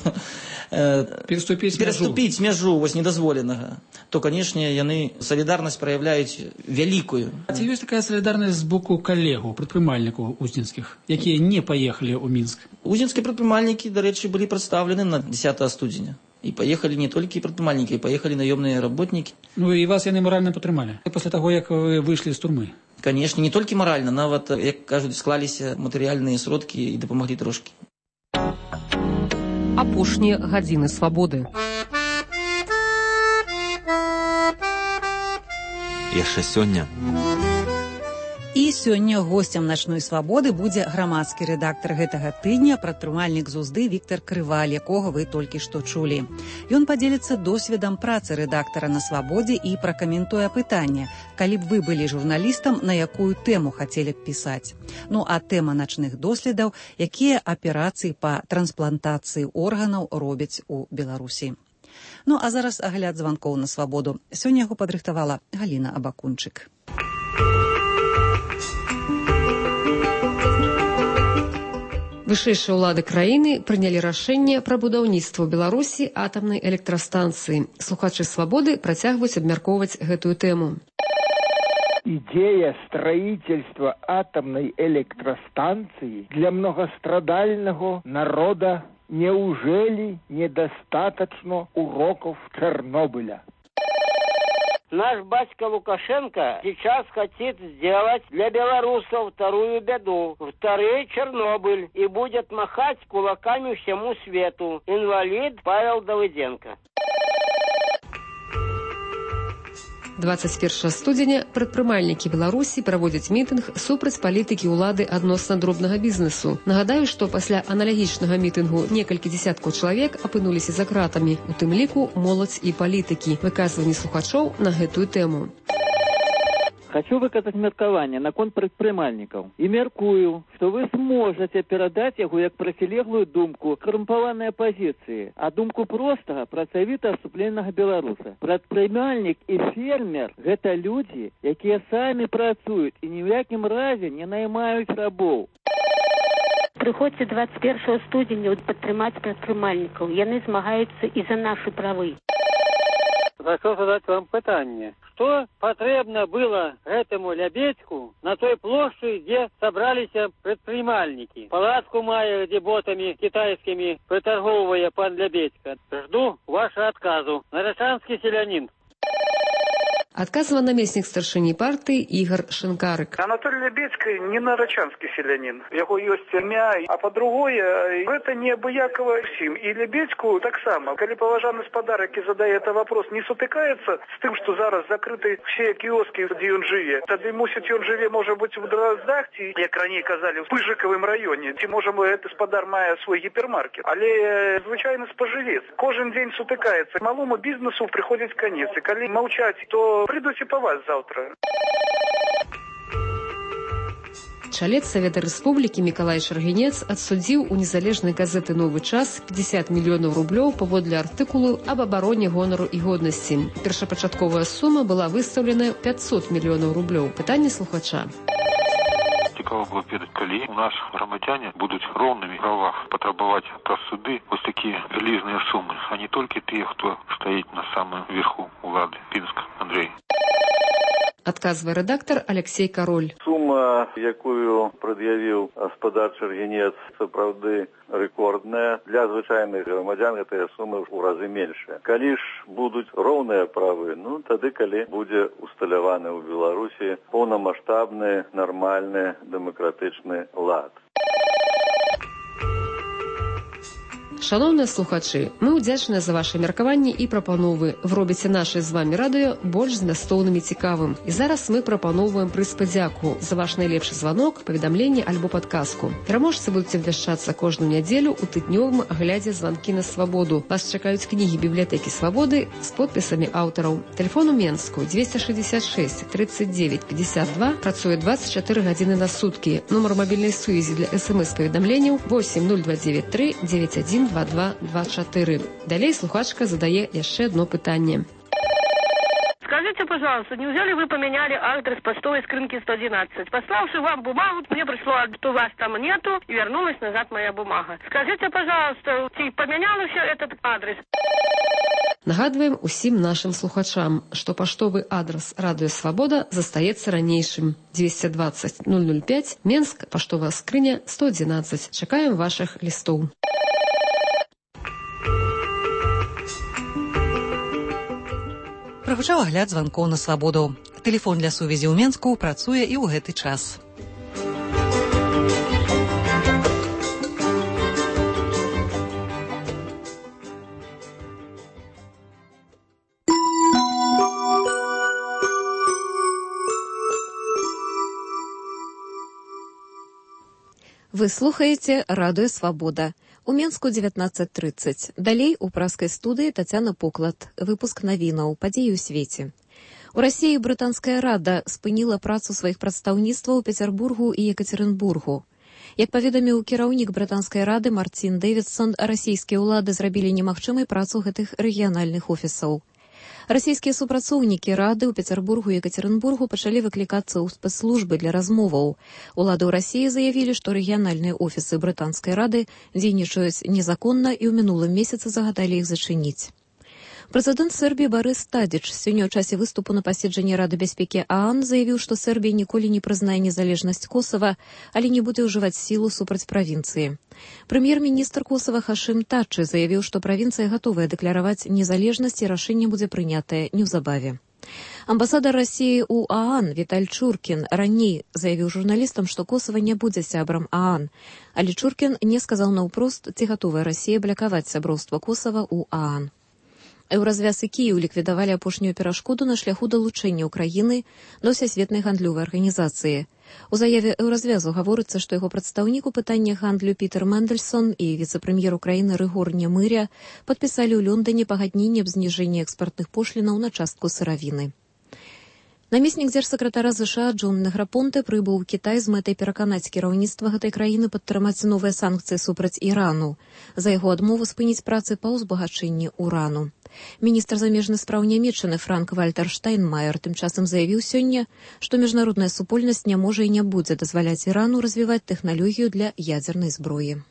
S7: пераступіць мяжу вось недазволенага, то, канешне, яны салідарнасць праяўляюць вялікую.
S9: А ці ёсць такая салідарнасць з боку калегаў, прадпрымальнікаў узненскіх, якія не паехалі ў Мінск?
S7: Узненскія прадпрымальнікі, дарэчы, былі прадстаўлены на 10 студзеня. І паехалі не толькі прадпрымальнікі, паехалі наёмныя работнікі.
S9: І вас яны маральна падтрымалі пасля таго, як вы выйшлі з турмы?
S7: Канешне, не толькі маральна, нават, як кажуць, склаліся матэрыяльныя сродкі і дапамаглі трошкі.
S10: Апошнія гадзіны свабоды.
S13: Яшчэ сёння.
S1: І сёння госцем начной свабоды будзе грамадскі рэдактар гэтага тыдня, прадпрымальнік з Узды Віктор Крываль, якога вы толькі што чулі. Ён падзеліцца досведам працы рэдактара на свабодзе і пракаментуе пытанне, калі б вы былі журналістам, на якую тэму хацелі б пісаць. А тэма начных доследаў, якія аперацыі па трансплантацыі органаў робяць у Беларусі. А зараз агляд званкоў на свабоду. Сёння яго падрыхтавала Галіна Абакунчык.
S10: Вышэйшыя ўлады краіны прынялі рашэнне пра будаўніцтва ў Беларусі атамнай электрастанцыі. Слухачы свабоды працягваюць абмяркоўваць гэтую тэму.
S14: Идея строительства атомной электростанции для многострадального народа неужели недостаточно уроков Чернобыля?
S15: Наш батька Лукашенко сейчас хочет сделать для белорусов вторую беду, второй Чернобыль, и будет махать кулаками всему свету. Инвалид Павел Давыденко.
S10: 21 студзеня прадпрымальнікі Беларусі праводзяць мітынг супраць палітыкі ўлады адносна дробнага бізнесу. Нагадаю, што пасля аналагічнага мітынгу некалькі дзесяткаў чалавек апынуліся за кратамі, у тым ліку моладзь і палітыкі. Выказванні слухачоў на гэтую тэму.
S16: Хочу выказаць меркаванне наконт прадпрымальнікаў і мяркую, што вы зможаце перадаць яго як процілеглую думку карумпаванай апазіцыі, а думку простага працавіта супленнага беларуса. Прадпрымальнік і фермер – гэта людзі, якія самі працуюць і ні ў якім разе не наймаюць рабоў.
S28: Прыходзьце 21 студзеня падтрымаць прадпрымальнікаў. Яны змагаюцца і за нашы правы.
S15: Хочу задать вам питание. Что потребно было этому Лебедьку на той площади, где собрались предпринимальники? Палатку мая, где ботами китайскими приторговывая пан Лебедька. Жду вашего отказу. Нарочанский селянин.
S10: Адказвае намеснік старшыні партыі Ігор Шынкарык.
S29: Анатолий Лебедько не нарочанский селянин. Яго ёсць імя, а по-другое, это неабыякова всім. І Лебедьку так само. Калі паважаны спадар, які задае это вопрос, не сутыкаецца з тым, што зараз закрыты все кіоскі, дзе ён жыве. Тады, мусіць, ён жыве, можа быць, в Дроздах, ці, як раней казалі, в Пыжыкавым раёне, ці, можа, гэты спадар мае свой гіпермаркет. Але звычайны спажывец. Кожен дзень сутыкаецца. Малому бізнесу прыходзіць канец. І калі маўчаць, то придут и по вас завтра.
S10: Чалец Савета Рэспублікі Мікалай Шаргінец адсудзіў у незалежнай газеты «Новы час» 50 мільёнаў рублёў паводле артыкулу аб абароне гонару і годнасці. Першапачатковая сума была выстаўлена 500 мільёнаў рублёў. Пытанне слухача.
S30: Цікаво было ведаць, калі у нас грамадзяне будуць роўнымі правах патрабаваць праз суды вось такія вялізныя сумы, а не толькі тыя, хто стаіць на самым верху улады. Пінск, Андрей.
S10: Адказвае рэдактар Алексей Кароль.
S31: Сума, якую прад'явіў гаспадар Шаргінец, сапраўды рэкордная. Для звычайных грамадзян гэтая сума ў разы меншая. Калі ж будуць роўныя правы, тады калі будзе усталяваны ў Беларусі поўнамаштабны, нармальны, дэмакратычны лад.
S10: Шановныя слухачы, мы ўдзячныя за ваши меркаванні і прапановы. Вы робіце наше з вами радыё больш змястоўным і цікавым. І зараз мы прапаноўваем прыз падзяку за ваш найлепшы званок, паведамленне альбо падказку. Пераможцы будуць абвяшчацца кожную нядзелю ў тыднёвым аглядзе званкі на свабоду. Вас чакаюць кнігі бібліятэкі свабоды з подпісамі аўтараў. Тэлефон у Менску 266 39 52, працуе 24 гадзіны на суткі. Нумар мабільнай сувязі для СМС-паведамленняў 80293 91 2224. Далей слухачка задае яшчэ одно пытанне.
S28: Скажите, пожалуйста, неужели вы поменяли адрес почтовой скринки 111? Пославши вам бумагу, мне пришло, что вас там нету, и вернулась назад моя бумага. Скажите, пожалуйста, ты поменяла все этот адрес?
S10: Нагадваем усім нашим слухачам, што паштовы адрас Радыё Свабода застаецца ранейшым. 220 005, Менск, паштовая скрыня 111. Чакаем ваших лістоў.
S1: Прагучаў агляд званкоў на свабоду. Тэлефон для сувязі ў Менску працуе і ў гэты час.
S6: Вы слухаеце Радыё Свабода. У Менску 19:30. Далей у праскай студыі Тацяна Поклад. Выпуск навінаў, падзеі ў свеце. У Расіі брытанская рада спыніла працу сваіх прадстаўніцтваў у Пецярбургу і Екатеринбургу. Як паведаміў кіраўнік брытанскай рады Мартин Дэвідсон, расійскія ўлады зрабілі немагчымай працу гэтых рэгіянальных офісаў. Расійскія супрацоўнікі рады ў Пецярбургу і Екатеринбургу пачалі выклікацца ў спецслужбы для размоваў. Улады ў Расіі заявілі, што рэгіянальныя офісы брытанскай рады дзейнічаюць незаконна і ў мінулым месяцы загадалі іх зачыніць. Прэзідэнт Сербіі Барыс Тадзіч сёння ў часе выступу на паседжанні Рады бяспекі ААН заявіў, што Сербія ніколі не прызнае незалежнасць Косава, але не будзе ўжываць сілу супраць правінцыі. Прэм'ер-міністр Косава Хашым Тачы заявіў, што правінцыя гатовая дэкляраваць незалежнасць і рашэнне будзе прынятае неўзабаве. Амбасадар Расіі ў ААН Віталь Чуркін раней заявіў журналістам, што Косава не будзе сябрам ААН, але Чуркін не сказаў наўпрост, ці гатовая Расія блакаваць сяброўства Косава ў ААН. Еўразвяз і Кіеў ліквідавалі апошнюю перашкоду на шляху далучэння ўкраіны да ўсясветнай гандлёвай арганізацыі. У заяве Еўразвязу гаворыцца, што яго прадстаўнік у пытаннях гандлю Пітер Мэндельсон і віцэ-прэм'ер Украіны Рыгор Немыря падпісалі ў Лондоне пагадненне аб зніжэнні экспартных пошлінаў на частку сыравіны. Намеснік дзяржсакратара США Джон Неграпонте прыбыў у Кітай з мэтай пераканаць кіраўніцтва гэтай краіны падтрымаць новыя санкцыі супраць Ірану за яго адмову спыніць працы па ўзбагачэнні урану. Міністр замежных спраў Нямецчыны Франк-Вальтер Штайнмаер тым часам заявіў сёння, што міжнародная супольнасць не можа і не будзе дазваляць Ірану развіваць тэхналогію для ядзернай зброі.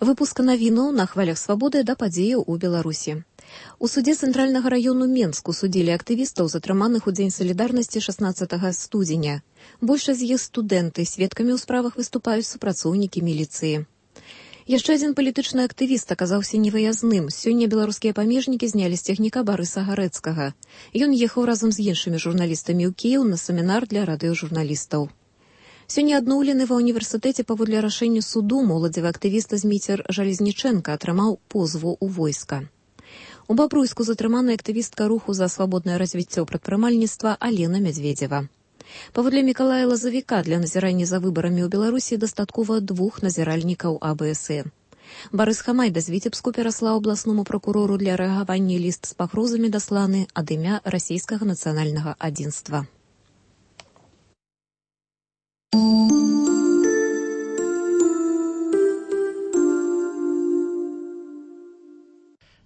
S6: Выпуск навінаў на хвалях свабоды да падзеяў у Беларусі. У судзе цэнтральнага раёну Менску судзілі актывістаў, затрыманых у дзень салідарнасці 16 студзеня. Большасць з іх студэнты, сведкамі ў справах выступаюць супрацоўнікі міліцыі. Яшчэ адзін палітычны актывіст аказаўся невыязным. Сёння беларускія памежнікі знялі з цягніка Барыса Гарэцкага. Ён ехаў разам з іншымі журналістамі ў Кіеў на семінар для радыёжурналістаў. Сёння адноўлены ва ўніверсітэце паводле рашэння суду моладзевы актывіст Зміцер Жалезнічэнка атрымаў позву ў войска. У Бабруйску затрымана актывістка руху за свабоднае развіццё прадпрымальніцтва Алена Мядзведзева. Паводле Мікалая Лазавіка для назірання за выбарамі ў Беларусі дастаткова 2 назіральнікаў АБС. Барыс Хамайда з Віцебску пераслаў абласному пракурору для рэагавання ліст з пагрозамі дасланы ад імя расійскага нацыянальнага адзінства.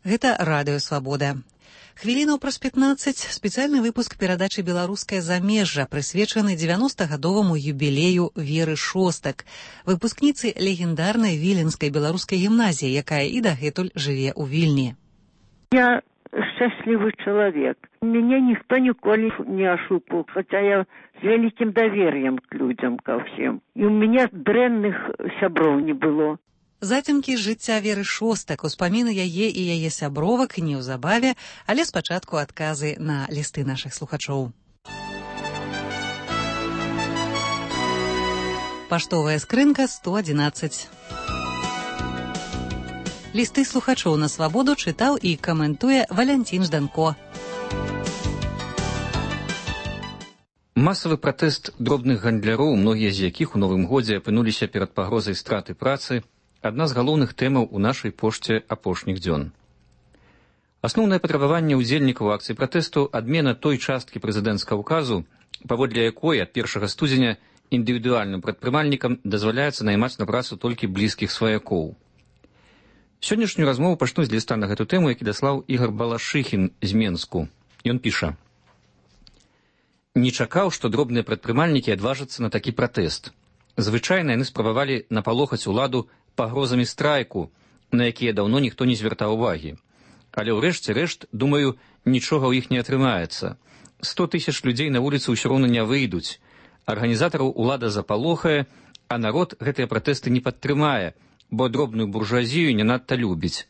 S1: Гэта Радыё Свабода. Хвілінаў праз 15 спецыяльны выпуск перадачы «Беларускае замежжа», прысвечаны 90-гадоваму юбілею Веры Шостак, выпускніцы легендарнай віленскай беларускай гімназіі, якая і дагэтуль жыве ў Вільні.
S2: Я счастливый человек. Меня никто николи не ошибал, хотя я с великим доверием к людям, ко всем. И у меня дрэнных сяброў не было.
S1: Зацемкі жыцця Веры Шостак, успаміны яе і яе сябровак неўзабаве, але спачатку адказы на лісты нашых слухачоў. Паштовая скрынка 111. Лісты слухачоў на свабоду чытаў і каментуе Валянцін Жданко.
S5: Масавы пратэст дробных гандляроў, многія з якіх у новым годзе апынуліся перад пагрозай страты працы, адна з галоўных тэмаў у нашай пошце апошніх дзён. Асноўнае патрабаванне ўдзельнікаў акцыі пратэсту адмена той часткі прэзідэнцкага ўказу, паводле якой ад 1 студзеня індывідуальным прадпрымальнікам дазваляецца наймаць на працу толькі блізкіх сваякоў. Сённяшнюю размову пачну з ліста на гэту тэму, які даслаў Ігар Балашыхін з Менску. Ён піша: «Не чакаў, што дробныя прадпрымальнікі адважацца на такі пратэст. Звычайна яны спрабавалі напалохаць уладу пагрозамі страйку, на якія даўно ніхто не звяртаў увагі. Але ўрэшце рэшт, думаю, нічога ў іх не атрымаецца. 100 000 людзей на вуліцу ўсё роўна не выйдуць. Арганізатараў улада запалохае, а народ гэтыя пратэсты не падтрымае, бо дробную буржуазію не надта любіць.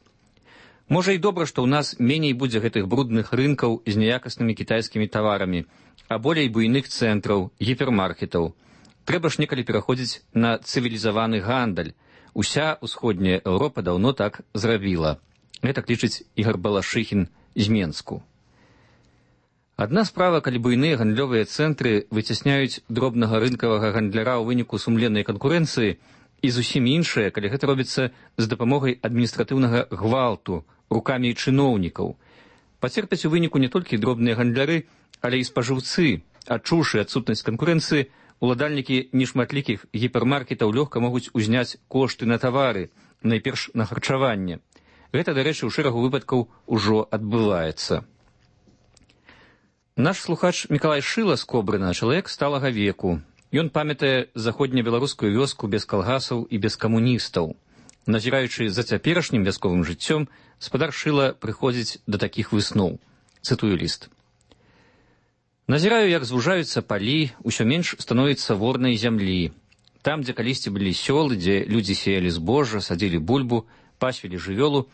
S5: Можа і добра, што ў нас меней будзе гэтых брудных рынкаў з няякаснымі кітайскімі таварамі, а болей буйных цэнтраў, гіпермаркетаў. Трэба ж некалі пераходзіць на цывілізаваны гандаль. Уся ўсходняя Еўропа даўно так зрабіла». Гэтак лічыць Ігар Балашыхін з Менску. Адна справа, калі буйныя гандлёвыя цэнтры выцясняюць дробнага рынкавага гандляра ў выніку сумленнай канкурэнцыі, і зусім іншая, калі гэта робіцца з дапамогай адміністратыўнага гвалту рукамі чыноўнікаў. Пацерпяць у выніку не толькі дробныя гандляры, але і спажыўцы. Адчуўшы адсутнасць канкурэнцыі, уладальнікі нешматлікіх гіпермаркетаў лёгка могуць узняць кошты на тавары, найперш на харчаванне. Гэта, дарэчы, у шэрагу выпадкаў ужо адбываецца. Наш слухач Мікалай Шыла з Кобрына чалавек сталага веку. Ён памятае заходнебеларускую вёску без калгасаў і без камуністаў. Назіраючы за цяперашнім вясковым жыццём, спадар Шыла прыходзіць да такіх высноў. Цытую ліст. «Назіраю, як звужаюцца палі, усё менш становіцца ворнай зямлі. Там, дзе калісьці былі сёлы, дзе людзі сеялі збожжа, садзілі бульбу, пасвілі жывёлу,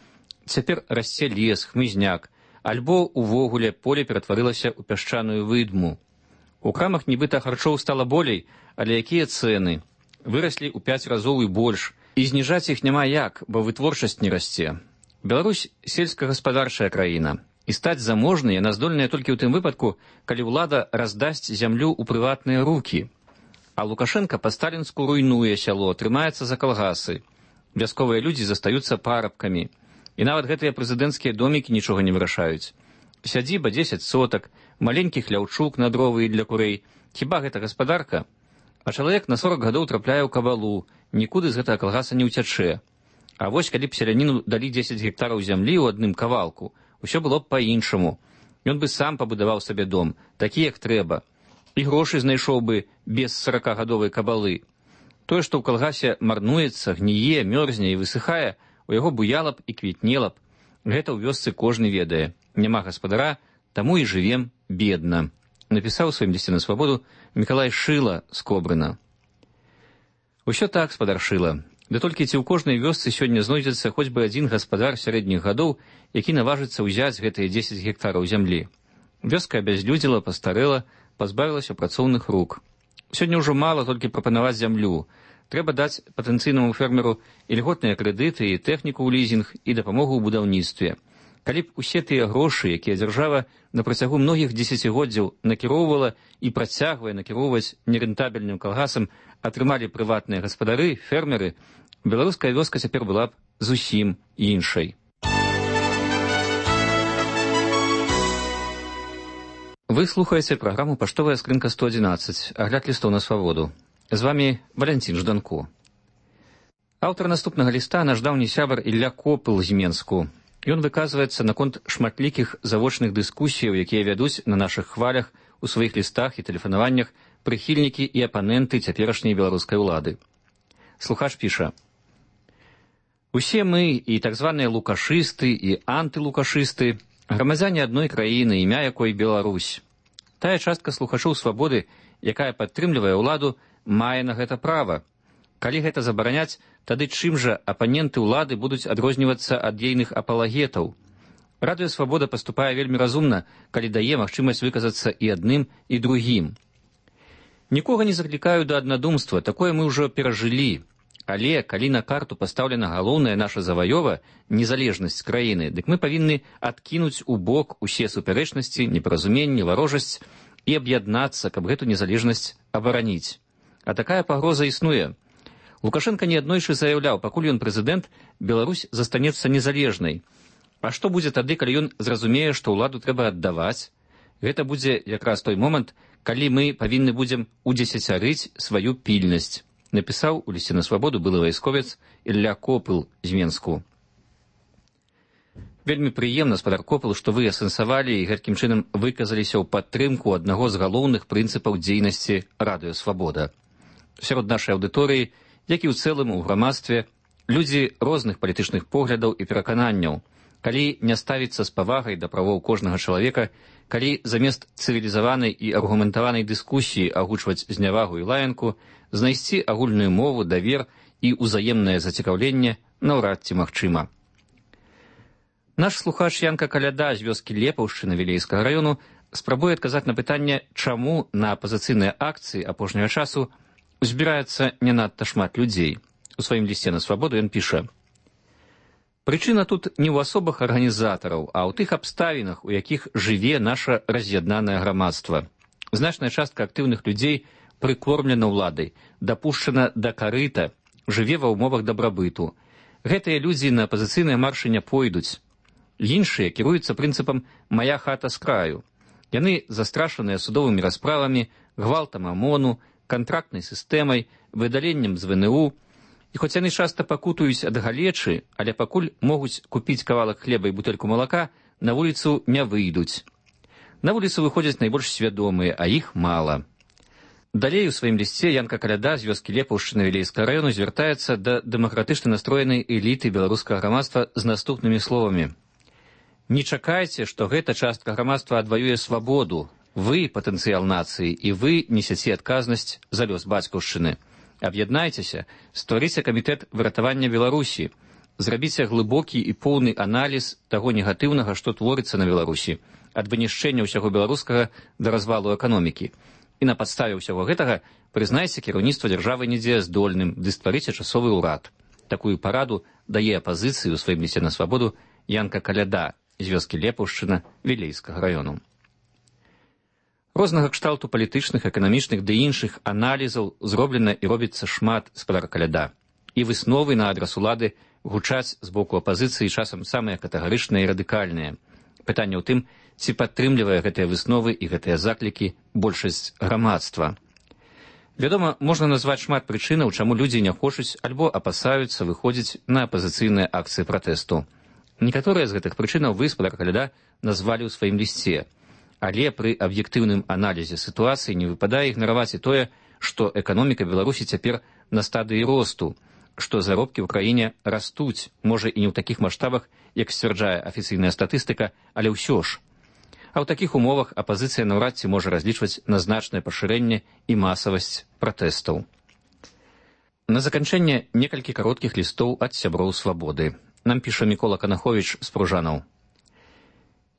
S5: цяпер расце лес, хмызняк, альбо увогуле поле ператварылася ў пясчаную выдму. У крамах нібыта харчоў стала болей, але якія цэны? Выраслі ў 5 разоў і больш, і зніжаць іх няма як, бо вытворчасць не расце. Беларусь сельскагаспадарчая краіна, і стаць заможнай яна здольная толькі ў тым выпадку, калі ўлада раздасць зямлю ў прыватныя рукі. А Лукашенка па-сталінску руйнуе сяло, трымаецца за калгасы. Вясковыя людзі застаюцца парабкамі. І нават гэтыя прэзідэнцкія домікі нічога не вырашаюць. Сядзіба 10 сотак, маленькі хляўчук на дровы і для курэй. Хіба гэта гаспадарка? А чалавек на 40 гадоў трапляе ў кабалу, нікуды з гэтага калгаса не ўцячэ. А вось калі б селяніну далі 10 гектараў зямлі ў адным кавалку, усё было б па-іншаму. Ён бы сам пабудаваў сабе дом, такі як трэба. І грошы знайшоў бы без 40-гадовай кабалы. Тое, што ў калгасе марнуецца, гніе, мёрзне і высыхае, у яго буяла б і квітнела б. Гэта ў вёсцы кожны ведае. Няма гаспадара, таму і жывем бедна. Напісаў у сваім лісце на свабоду Мікалай Шыла з Кобрына. Усё так, спадар Шыла. Да толькі ці ў кожнай вёсцы сёння знойдзецца хоць бы адзін гаспадар сярэдніх гадоў, які наважыцца ўзяць гэтыя 10 гектараў зямлі. Вёска абязлюдзіла, пастарэла, пазбавілася працоўных рук. Сёння ўжо мала толькі прапанаваць зямлю. Трэба даць патэнцыйнаму фермеру і льготныя крэдыты, і тэхніку ў лізінг, і дапамогу ў будаўніцтве. Калі б усе тыя грошы, якія дзяржава на працягу многіх дзесяцігоддзяў накіроўвала і працягвае накіроўваць нерэнтабельным калгасам, атрымалі прыватныя гаспадары, фермеры, беларуская вёска цяпер была б зусім іншай. Вы слухаеце праграму «Паштовая скрынка 111», агляд лістоў на свабоду. З вами Валянцін Жданко. Аўтар наступнага ліста наш даўні сябар Ілля Копыл з Менску. Ён выказваецца наконт шматлікіх завочных дыскусіяў, якія вядуць на нашых хвалях у сваіх лістах і тэлефанаваннях прыхільнікі і апаненты цяперашняй беларускай улады. Слухач піша: «Усе мы, і так званыя лукашысты, і антылукашысты, грамадзяне адной краіны, імя якой Беларусь. Тая частка слухачоў свабоды, якая падтрымлівае ўладу, мае на гэта права. Калі гэта забараняць, тады чым жа апаненты ўлады будуць адрознівацца ад ейных апалагетаў? Радыё «Свабода» паступае вельмі разумна, калі дае магчымасць выказацца і адным, і другім. Нікога не заклікаю да аднадумства, такое мы ўжо перажылі. Але калі на карту пастаўлена галоўная наша заваёва, незалежнасць краіны, дык мы павінны адкінуць у бок усе супярэчнасці, непаразуменні, варожасць і аб'яднацца, каб гэту незалежнасць абараніць. А такая пагроза існуе. Лукашенко неаднойчы заяўляў, пакуль ён прэзідэнт, Беларусь застанецца незалежнай. А што будзе тады, калі ён зразумее, што ўладу трэба аддаваць? Гэта будзе якраз той момант, калі мы павінны будзем удзесяцярыць сваю пільнасць, напісаў у лісце на свабоду былы вайсковец Ілля Копыл з Менску. Вельмі прыемна, спадар Копыл, што вы асэнсавалі і гэткім чынам выказаліся ў падтрымку аднаго з галоўных прынцыпаў дзейнасці радыёсвабода. Сярод нашай аўдыторыі, як і ў цэлым у грамадстве, людзі розных палітычных поглядаў і перакананняў. Калі не ставіцца з павагай да правоў кожнага чалавека, калі замест цывілізаванай і аргументаванай дыскусіі агучваць знявагу і лаянку, знайсці агульную мову, давер і ўзаемнае зацікаўленне наўрад ці магчыма. Наш слухач Янка Каляда з вёскі Лепаўшчына Вілейскага раёну спрабуе адказаць на пытанне, чаму на апазіцыйныя акцыі апошняга часу збіраецца не надта шмат людзей. У сваім лісце на свабоду ён піша: «Прычына тут не ў асобах арганізатараў, а ў тых абставінах, у якіх жыве наша раз'яднанае грамадства. Значная частка актыўных людзей прыкормлена ўладай, дапушчана да карыта, жыве ва ўмовах дабрабыту. Гэтыя людзі на апазіцыйныя маршы не пойдуць. Іншыя кіруюцца прынцыпам «мая хата з краю». Яны застрашаныя судовымі расправамі, гвалтам ОМОНу, кантрактнай сістэмай, выдаленнем з ВНУ. І хоць яны часта пакутуюць ад галечы, але пакуль могуць купіць кавалак хлеба і бутэльку малака, на вуліцу не выйдуць. На вуліцу выходзяць найбольш свядомыя, а іх мала». Далей у сваім лісце Янка Каляда з вёскі Лепаўшчына Вілейскага раёну звяртаецца да дэмакратычна настроенай эліты беларускага грамадства з наступнымі словамі: «Не чакайце, што гэта частка грамадства адваюе свабоду. Вы патэнцыял нацыі, і вы несяце адказнасць за лёс бацькаўшчыны. Аб'яднайцеся, стварыце камітэт выратавання Беларусі, зрабіце глыбокі і поўны аналіз таго негатыўнага, што творыцца на Беларусі, ад вынішчэння ўсяго беларускага да развалу эканомікі. І на падставе ўсяго гэтага прызнайце кіраўніцтва дзяржавы недзеяздольным, ды стварыце часовы ўрад». Такую параду дае апазіцыі ў сваім лісце на свабоду Янка Каляда з вёскі Лепаўшчына Вілейскага раёну. Рознага кшталту палітычных, эканамічных ды іншых аналізаў зроблена і робіцца шмат, спадар Каляда. І высновы на адрас улады гучаць з боку апазіцыі часам самыя катэгарычныя і радыкальныя. Пытанне ў тым, ці падтрымлівае гэтыя высновы і гэтыя заклікі большасць грамадства. Вядома, можна назваць шмат прычынаў, чаму людзі не хочуць альбо апасаюцца выходзіць на апазіцыйныя акцыі пратэсту. Некаторыя з гэтых прычынаў вы, спадар Каляда, назвалі ў сваім лісце. Але пры аб'ектыўным аналізе сітуацыі не выпадае ігнараваць і тое, што эканоміка Беларусі цяпер на стадыі росту, што заробкі ў краіне растуць, можа і не ў такіх маштабах, як сцвярджае афіцыйная статыстыка, але ўсё ж. А ў такіх умовах апазіцыя наўрад ці можа разлічваць на значнае пашырэнне і масавасць пратэстаў. На заканчэнне некалькі кароткіх лістоў ад сяброў свабоды. Нам піша Мікола Канаховіч з Пружанаў.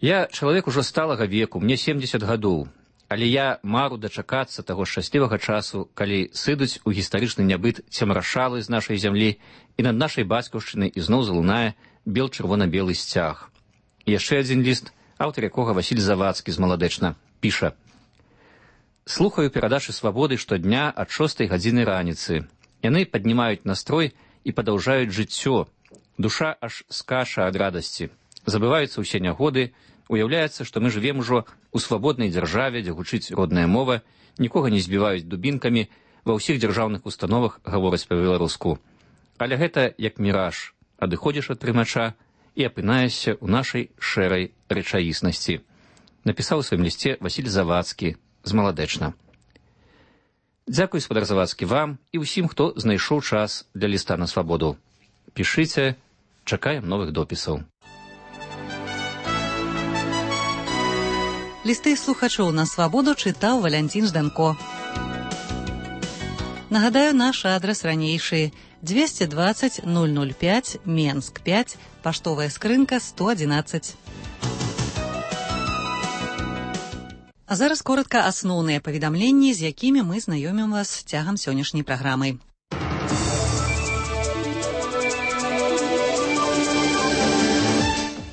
S5: «Я чалавек ужо сталага веку, мне 70 гадоў, але я мару дачакацца таго шчаслівага часу, калі сыдуць у гістарычны нябыт цемрашалы з нашай зямлі і над нашай бацькаўшчынай ізноў залунае бел-чырвона-белы сцяг». І яшчэ адзін ліст, аўтар якога Васіль Завадскі з Маладэчна, піша: «Слухаю перадачы свабоды штодня ад 6 гадзіны раніцы. Яны паднімаюць настрой і падаўжаюць жыццё. Душа аж скача ад радасці. Забываюцца ўсе нягоды, уяўляецца, што мы жывем ужо у свабоднай дзяржаве, дзе гучыць родная мова, нікога не збіваюць дубінкамі, ва ўсіх дзяржаўных установах гавораць па-беларуску. Але гэта як міраж, адыходзіш ад прымача і апынаешся ў нашай шэрай рэчаіснасці», напісаў у сваім лісце Васіль Завадскі з Маладэчна. Дзякуй, спадар Завадскі, вам і ўсім, хто знайшоў час для ліста на свабоду. Пішыце, чакаем новых допісаў.
S1: Лісты слухачоў на свабоду чытаў Валянцін Жданко. Нагадаю, наш адрас ранейшы: 220 005, Менск 5, паштовая скрынка 111. А зараз коротка асноўныя паведамленні, з якімі мы знаёмім вас цягам сённяшняй праграмы.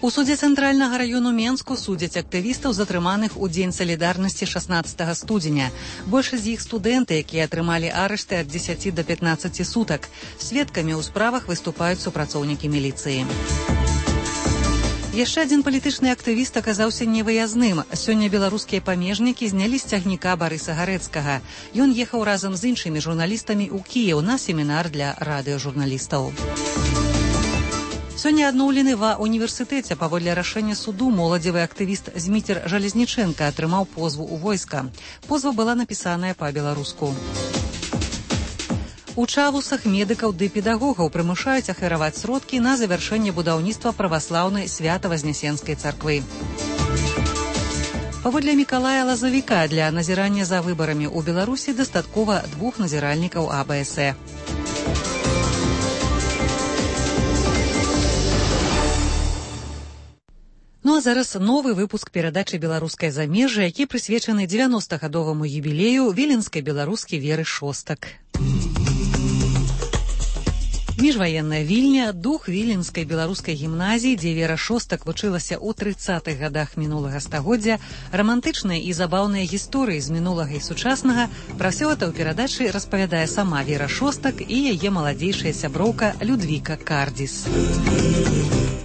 S1: У судзе Цэнтральнага раёну Менску судзяць актывістаў, затрыманых у дзень салідарнасці 16 студзеня. Большасць з іх студэнты, якія атрымалі арышты ад 10 до 15 сутак. Сведкамі ў справах выступаюць супрацоўнікі міліцыі. Яшчэ адзін палітычны актывіст аказаўся невыязным. Сёння беларускія памежнікі знялі з цягніка Барыса Гарэцкага. Ён ехаў разам з іншымі журналістамі ў Кіеў на семінар для радыёжурналістаў. Сёння адноўлены ва універсітэце паводле рашэння суду моладзевы актывіст Зміцер Жалезнічэнка атрымаў позву ў войска. Позва была напісаная па-беларуску. У Чавусах медыкаў ды педагогаў прымушаюць ахвяраваць сродкі на завяршэнне будаўніцтва праваслаўнай Свята-Вазнесенскай царквы. Паводле Мікалая Лазавіка для назірання за выбарамі ў Беларусі дастаткова 2 назіральнікаў АБС. Ну а зараз новы выпуск перадачы «Беларускае замежжа», які прысвечаны 90-гадоваму юбілею віленскай беларускі Веры Шостак. Міжваенная Вільня, дух віленскай беларускай гімназіі, дзе Вера Шостак вучылася ў 30-х гадах мінулага стагоддзя, рамантычныя і забаўныя гісторыі з мінулага і сучаснага, пра ўсё гэта ў перадачы распавядае сама Вера Шостак і яе маладзейшая сяброўка Людвіка Кардзіс.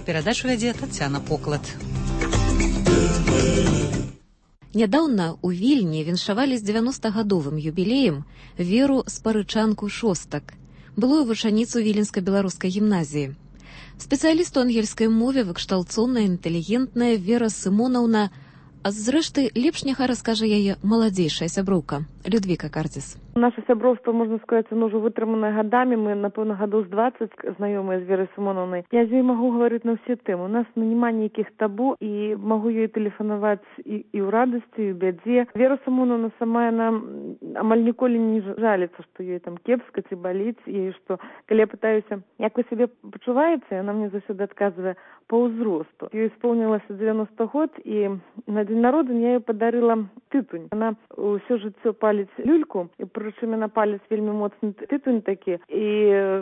S1: Перадачу вядзе Тацяна Поклад.
S6: Нядаўна ў Вільні віншавалі з 90-гадовым юбілеем Веру Спарычанку Шостак, былую вучаніцу Віленска-беларускай гімназіі. Спецыяліст у ангельскай мове, выкшталцоўная, інтэлігентная Вера Сымонаўна, а зрэшты, лепш няхай раскажа яе маладзейшая сяброўка Людвіка Кардзіс.
S4: Наше сяброўство, можна сказаць, оно ўжо вытрыманае гадамі. Мы, напэўна, гадоў з 20 знаёмыя з Верай Сымонаўнай. Я з ёй магу гаварыць на ўсе тэмы. У нас няма нейкіх табу, і магу ёй тэлефанаваць і ў радасці, і ў бядзе. Вера Сымонаўна сама, яна амаль ніколі не жаліцца, што ёй там кепска ці баліць. І што, калі я пытаюся, як вы сябе пачуваеце, яна мне заўсёды адказвае па ўзросту. Ёй исполнілася 90 год, і на дзень народзення я ёй падарыла тытунь. Яна ўсё жыццё паліць люльку, і прычым яна паліць вельмі моцны тытунь такі, і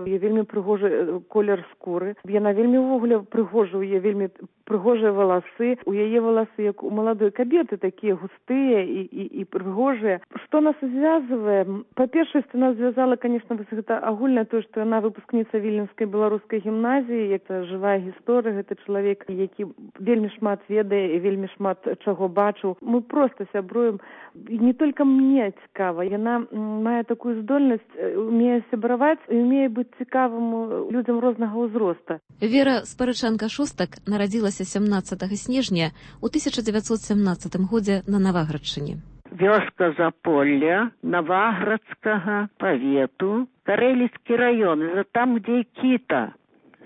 S4: вельмі прыгожы колер скуры. Яна вельмі ўвогуле прыгожа, у яе вельмі прыгожыя валасы. У яе валасы, як у маладой кабеты, такія густыя і прыгожыя. Што нас звязвае? Па-першае, нас звязала, конечно, гэта агульнае тое, што яна выпускніца Віленскай беларускай гімназіі, як жывая гісторыя, гэта чалавек, які вельмі шмат ведае і вельмі шмат чаго бачыў. Мы проста сябруем. Не толькі мне цікава, яна мае такую здольнасць, умее сябраваць і умее быць цікавым людзям рознага ўзроста.
S6: Вера Спарычанка Шостак нарадзілася 17 снежня ў 1917 годзе на Наваградчыне.
S2: Вёска Заполля Наваградскага павету, Карэліцкі раён, это там, где Кіта.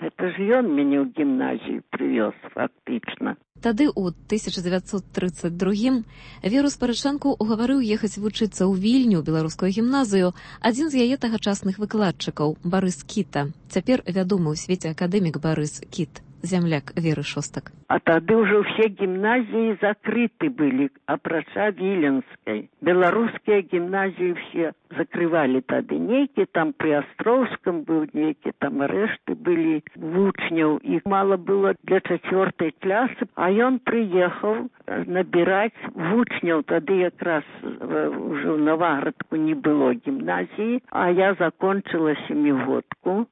S2: Это ж ён мяне ў гімназію прывёз фактычна.
S6: Тады ў 1932 Веру Спарычанку угаварыў ехаць вучыцца ў Вільню, беларускую гімназію, адзін з яе тагачасных выкладчыкаў, Барыс Кіта. Цяпер вядомы ў свеце акадэмік Барыс Кіт, зямляк Веры Шостак.
S2: А тады ўжо ўсе гімназіі закрыты былі, апрача Віленскай. Беларускія гімназіі все закрывалі тады. Нейкі там пры Астроўскім быў, нейкі там рэшты былі вучняў. Іх мала было для 4-й класы, а ён прыехаў набіраць вучняў. Тады якраз ўжо ў Наваградку не было гімназіі, а я закончыла 7-годку.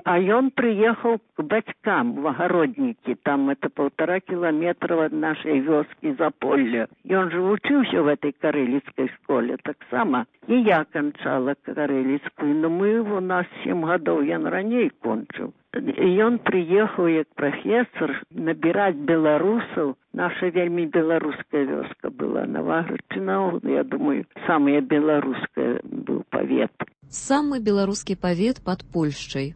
S2: А ён прыехаў к бацькам в Агароднікі. Там это 1,5 километра ад нашай вёскі Заполля. Ён жа вучыўся в этой карэліцкай школе таксама. І я канчала карэліцкую, но у нас 7 гадоў, ён раней кончыў. І ён прыехаў як прафесор набіраць беларусаў. Наша вельмі беларуская вёска была. Наваградчына, я думаю, самая беларуская быў павет.
S6: Самы беларускі павет пад Польшчай.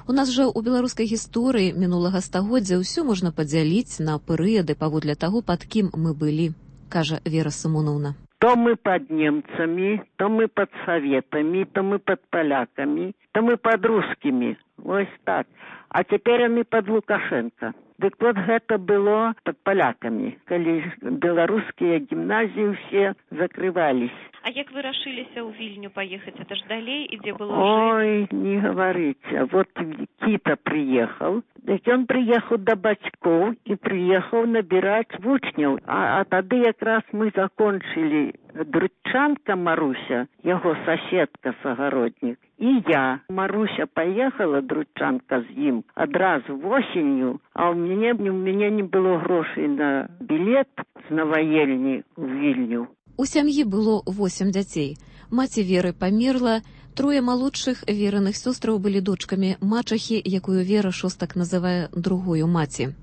S6: У нас жа ў беларускай гісторыі мінулага стагоддзя ўсё можна падзяліць на перыяды паводле таго, пад кім мы былі, кажа Вера Сымонаўна.
S2: То мы пад немцамі, то мы пад саветамі, то мы пад палякамі, то мы пад рускімі. Вось так. А цяпер яны пад Лукашенко. Дык вот гэта было под поляками, калі беларускія гімназіі все закрывались.
S6: А як вы рашыліся ў Вільню паехаць? Это ж далей, і дзе было
S2: Ой, не говорите. Вот Кита приехал. Он приехал до бацькоў и приехал набирать вучняў. А тады якраз мы закончили. Дручанка Маруся, его соседка сагородник, и я. Маруся поехала, Дручанка, з ім адразу осенью, а у меня не было грошей на билет з Новаельні в Вільню.
S6: У сям'і было 8 дзяцей. Маці Веры памерла, 3 малодшых вераных сёстраў былі дочкамі мачахі, якую Вера Шостак называе другою маці.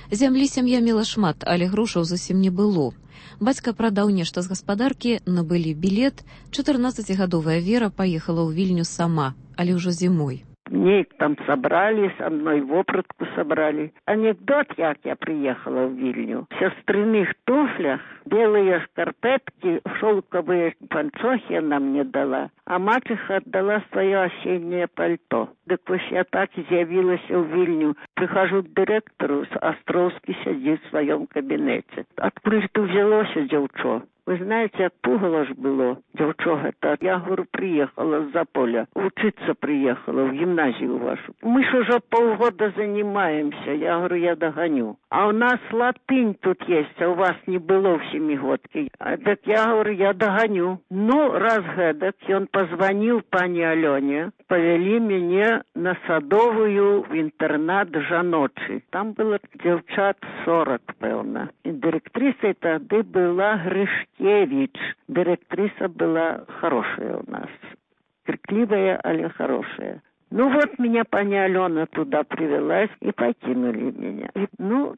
S6: Зямлі сям'я мела шмат, але грошаў зусім не было. Бацька прадаў нешта з гаспадаркі, набылі білет. 14-гадовая Вера паехала ў Вільню сама, але ўжо зімой.
S2: Нейк там собрали, со мной вопратку собрали. Анекдот, як я приехала в Вильню. В сестрыных туфлях, белые шкарпетки, шелковые панчохи она мне дала, а мачеха отдала свое осеннее пальто. Так вот я так з'явилась в Вильню. Прихожу к директору, Островский сидит в своем кабинете. Откуда ты взялось, девчо? Вы знаете, отпугало ж было, девчо это. Я, говорю, приехала с Заполя, учиться приехала в гимназию вашу. Мы ж уже полгода занимаемся, я говорю, я догоню. А у нас латынь тут есть, а у вас не было в 7-годке. Так я говорю, я догоню. Ну, раз гэдак, он позвонил пане Алене, повели меня на Садовую в интернат жаночий. Там было девчат 40, певно. И директрисой тогда была Гришкевич. Директриса была хорошая у нас. Крикливая, але хорошая. Ну вот меня пани Алена туда привела и покинули меня. И,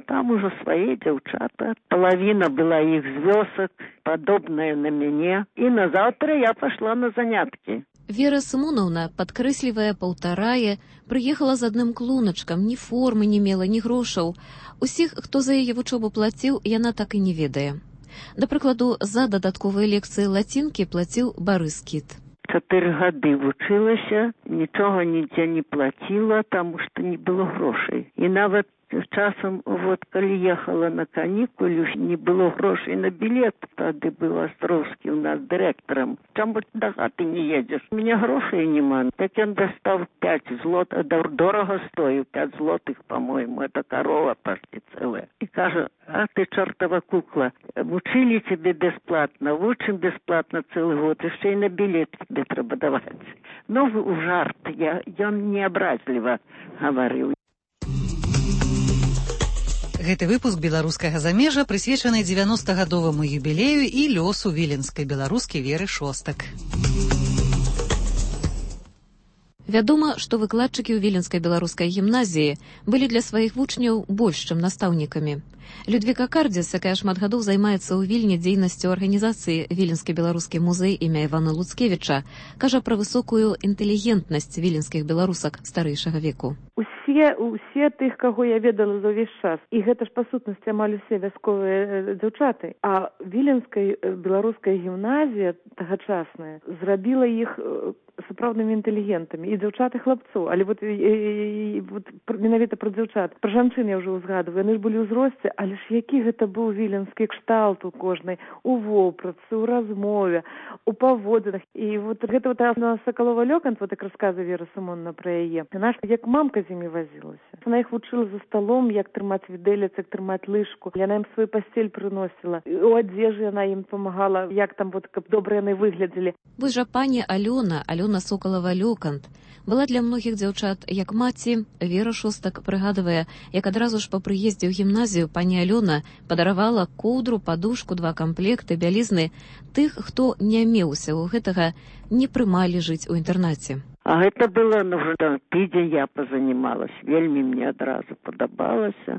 S2: там уже свои девчата. Половина была их звездок, подобная на меня. И на завтра я пошла на занятки.
S6: Вера Сымоновна, падкрэслівая паўтарае, прыехала з адным клуначкам, ні формы не мела, ні грошаў. Усіх, хто за яе вучобу плаціў, яна так і не ведае. Да прыкладу, за дадатковыя лекцыі лацінкі плаціў Барыс Кіт.
S2: 4 гады вучылася, нічога нідзе не плаціла, таму што не было грошай. І нават часам, калі ехала на канікулы, не было грошай на билет. Тады быў Островскі у нас дырэктарам. Чаму да хаты не едзеш? У меня грошай нема. Так ён дастаў 5 злотых, дорого стоит, 5 злотых, по-моему, это корова почти целая. И кажа, а ты чертова кукла, учили тебе бесплатно, учим бесплатно целый год, еще и на билет тебе треба давать. Но в жарт, я не образливо говорил.
S1: Гэты выпуск беларускага замежжа прысвечаны 90-гадоваму юбілею і лёсу віленскай беларускі Веры Шостак.
S6: Вядома, што выкладчыкі ў віленскай беларускай гімназіі былі для сваіх вучняў больш, чым настаўнікамі. Людвіка Кардзіс, якая шмат гадоў займаецца ў Вільні дзейнасцю арганізацыі Віленскі беларускі музей імя Івана Луцкевіча, кажа пра высокую інтэлігентнасць віленскіх беларусак старэйшага веку.
S4: Усе тых, каго я ведала за ўвесь час, і гэта ж па сутнасці амаль усе вясковыя дзяўчаты. А віленская беларуская гімназія тагачасная зрабіла іх сапраўднымі інтэлігентамі, і дзяўчат, і хлапцоў. Але менавіта пра дзяўчат. Пра жанчын я ўжо ўзгадваю, яны ж былі ўзросце, але ж які гэта быў віленскі кшталт у кожнай, у вопратцы, у размове, у паводзінах. І гэта Сакалова-Лёкант, як расказа Вера Сымоновна пра яе, яна ж як мамка з імі вазілася. Яна іх вучыла за сталом, як трымаць відэлец, як трымаць лыжку. Яна ім сваю пасцель прыносіла. У адзежы яна ім памагала, як там, каб добра яны выглядзелі.
S6: Вось жа пані Алёна Сокалова-Лёкант, была для многіх дзяўчат як маці. Вера Шостак прыгадвае, як адразу ж па прыездзе ў гімназію пані Алёна падаравала коўдру, падушку, 2 камплекты бялізны тых, хто не меўся ў гэтага, не прымалі жыць у інтэрнаце.
S2: А гэта было, тыдзень я позанималась, вельмі мне адразу падабалася.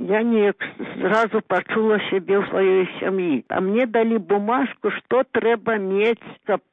S2: Я неяк сразу пачула сябе ў сваёй сям'і. А мне далі бумажку, што трэба мець, каб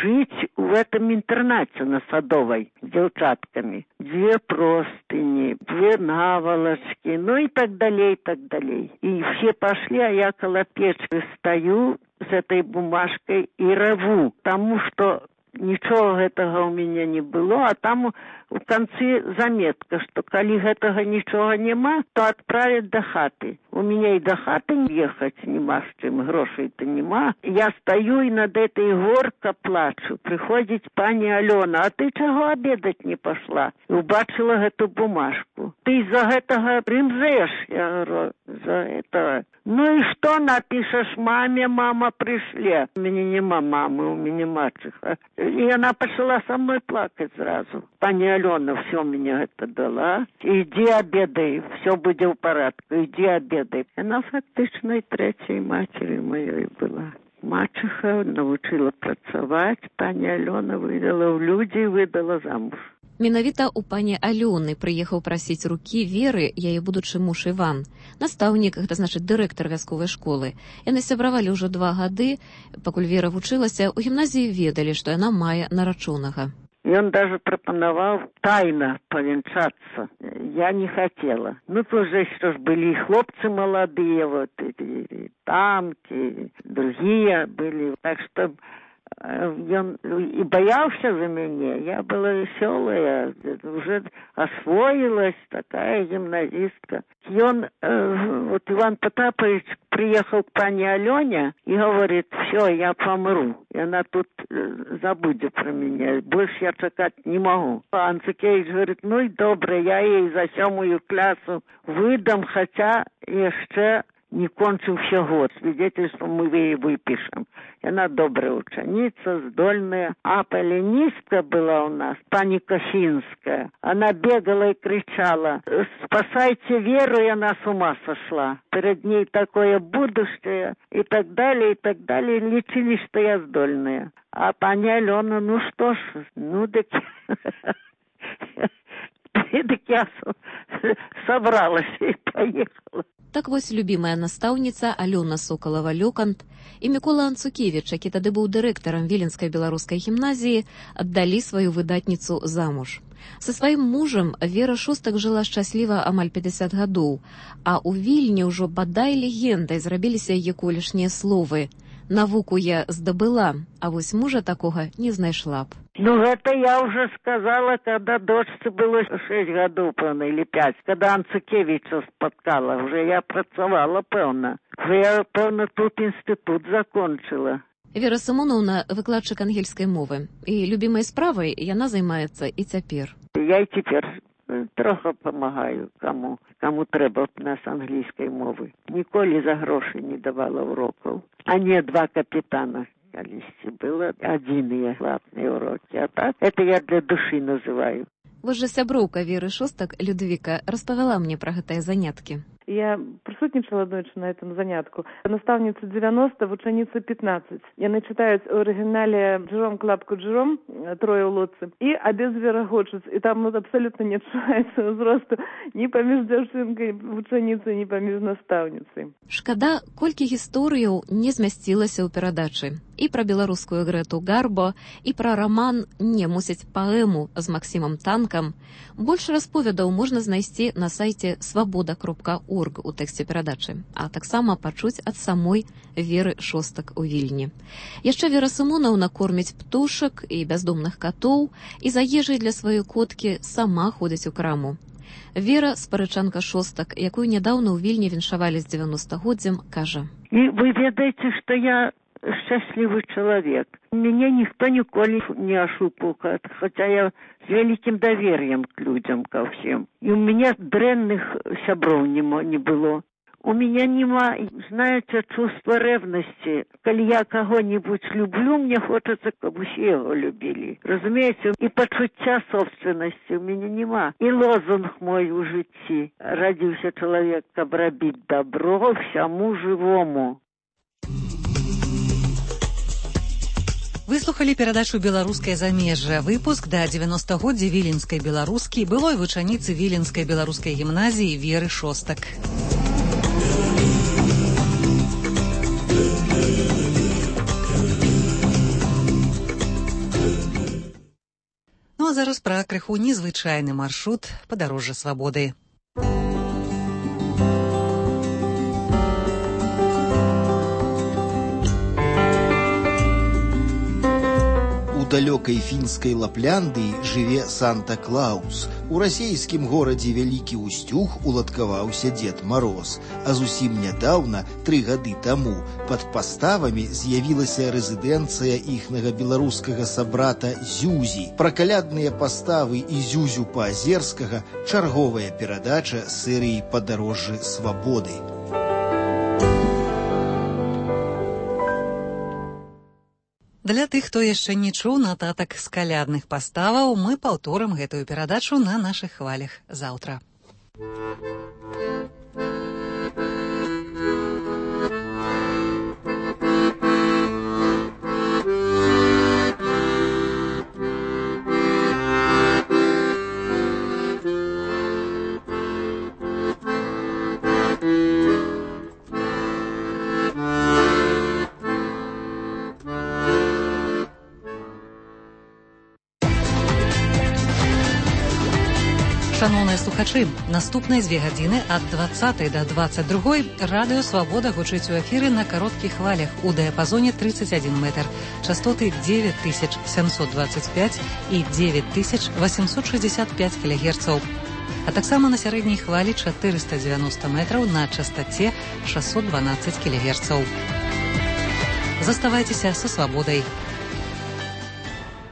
S2: жить в этом интернате на Садовой с девчатками. 2 простыни, 2 наволочки, и так далее, и так далее. И все пошли, а я около печки стою с этой бумажкой и реву, потому что Нічого гэтага ў мяне не было, а там у канцы заметка, што калі гэтага нічога няма, то адправяць да хаты. У мяне і да хаты ехаць нема з чым, грошай-то нема. Я стаю і над этой горка плачу. Прыходзіць пані Алёна, а ты чаго обедаць не пашла? І убачыла гэту бумажку. Ты з-за гэтага рымзэш? Я говорю, за этого. Ну и что напишешь маме, мама пришле? У меня нема мамы, у меня мачеха. И она пошла со мной плакать сразу. Пани Алена все мне это дала. Иди обедай, все будет в порядке, иди обедай. Она фактично и третьей матерью моей была. Мачеха научила працаваць, пані Алена выдала в люди и выдала замуж.
S6: Менавіта ў пані Алёны прыехаў прасіць рукі Веры яе будучы муж Іван. Настаўнік, гэта значыць дырэктар вясковай школы. Яны сябравалі ўжо 2 гады, пакуль Вера вучылася, у гімназіі ведалі, што яна мае нарачонага.
S2: Он даже пропоновал тайно повенчаться. Я не хотела. Ну, тоже что ж, были и хлопцы молодые, вот, и тамки, и другие были. Так что он и боялся за меня. Я была веселая, уже освоилась, такая гимназистка. И он, вот Иван Потапович приехал к пане Алене и говорит, все, я помру. И она тут забудет про меня. Больше я чекать не могу. А Анцикевич говорит, ну и добре, я ей за 7 классу выдам, хотя еще не кончился год. Свидетельство мы ей выпишем. И она добрая ученица, здольная. А полинистка была у нас, пани Косинская. Она бегала и кричала, спасайте Веру, и она с ума сошла. Перед ней такое будущее, и так далее, и так далее. Лечили, что я здольная. А пани Алена, ну что ж, ну так... Так я собралась и поехала.
S6: Так вось любімая настаўніца Алёна Сокалава-Лёкант і Мікола Анцукевіч, які тады быў дырэктарам Віленскай беларускай гімназіі, аддалі сваю выдатніцу замуж. Са сваім мужам Вера Шостак жыла шчасліва амаль 50 гадоў, а ў Вільні ўжо бадай легендай зрабіліся яе колішнія словы. Навуку я здабыла, а вось мужа такога не знайшла б.
S2: Ну, это я уже сказала, когда дочце было 6 гадоў, пэўна, или 5, когда Анцукевича спаткала. Уже я працавала, пэўна. Уже я, пэўна, тут інстытут закончила.
S6: Вера Сымоновна выкладчык ангельскай мовы. І любімай справай яна займаецца і цяпер.
S2: Я і цяпер трохи помагаю, кому трэба у нас англійскай мовы. Ніколі за грошы не давала урокаў. А не 2 капітана. Колись было 1 платные уроки, а так это я для души называю.
S6: Вось жа сяброўка Веры Шостак, Людвіка, распавяла мне пра гэтыя заняткі.
S4: Я присутнічала ночі на этом занятку. Наставниця 90, вучениця 15. Яны читаюць у оригинале Джером клапку Джером, 3 у лодцы, и обед зверагочуць. И там абсолютно не адчуваецца ўзросту ні паміж дзяўчынкай вученіцай, ні паміж настаўніцай.
S6: Шкада, колькі гісторыяў не змясцілася ў перадачы. І пра беларускую Грэту Гарбо, і пра раман «Не мусіць паэму» з Максімам Танкам. Больш расповедаў можна знайсці на сайце свабода.орг у тэксце перадачы, а таксама пачуць ад самой Веры Шостак у Вільні. Яшчэ Вера Сымоновна корміць птушак і бяздомных катоў, і за ежай для сваёй коткі сама ходзіць у краму. Вера, спарычанка Шостак, якую нядаўна ў Вільні віншавалі з 90-годдзям, кажа.
S2: І вы ведаеце, што я счастливый человек. Меня никто николи не ошибал, хотя я с великим доверием к людям, ко всем. И у меня дрэнных сябров не было. У меня нема, знаете, чувства ревности. Коли я кого-нибудь люблю, мне хочется, чтобы все его любили. Разумеете, и почуття собственности у меня нема. И лозунг мой у житті. Родился человек, каб робить добро всему живому.
S1: Выслухалі перадачу «Беларускае замежжа». Выпуск да 90-годдзя віленскай беларускі былой вучаніцы Віленскай беларускай гімназіі Веры Шостак. Ну а зараз пра крыху незвычайны маршрут падарожжа свабоды.
S3: далёкай фінскай Лапляндыі жыве Санта-Клаус. У расійскім горадзе Вялікі Устюг уладкаваўся Дед Мароз. А зусім нядаўна, 3 гады таму, пад паставамі з'явілася рэзідэнцыя іхнага беларускага сабрата Зюзі. Пра калядныя паставы і Зюзю Паазерскага чарговая перадача серыі «Падарожжы свабоды».
S1: Для тых, хто яшчэ не чуў нататак з калядных паставаў, мы паўторым гэтую перадачу на нашых хвалях заўтра. Шановныя слухачы, наступныя 2 гадзіны ад 20 до 22 радыё «Свабода» гучыць у эфіры на кароткіх хвалях у дыяпазоне 31 метр, частоты 9725 і 9865 кГц, а таксама на сярэдняй хвалі 490 метраў на частаце 612 кГц. Заставайцеся са «Свабодай».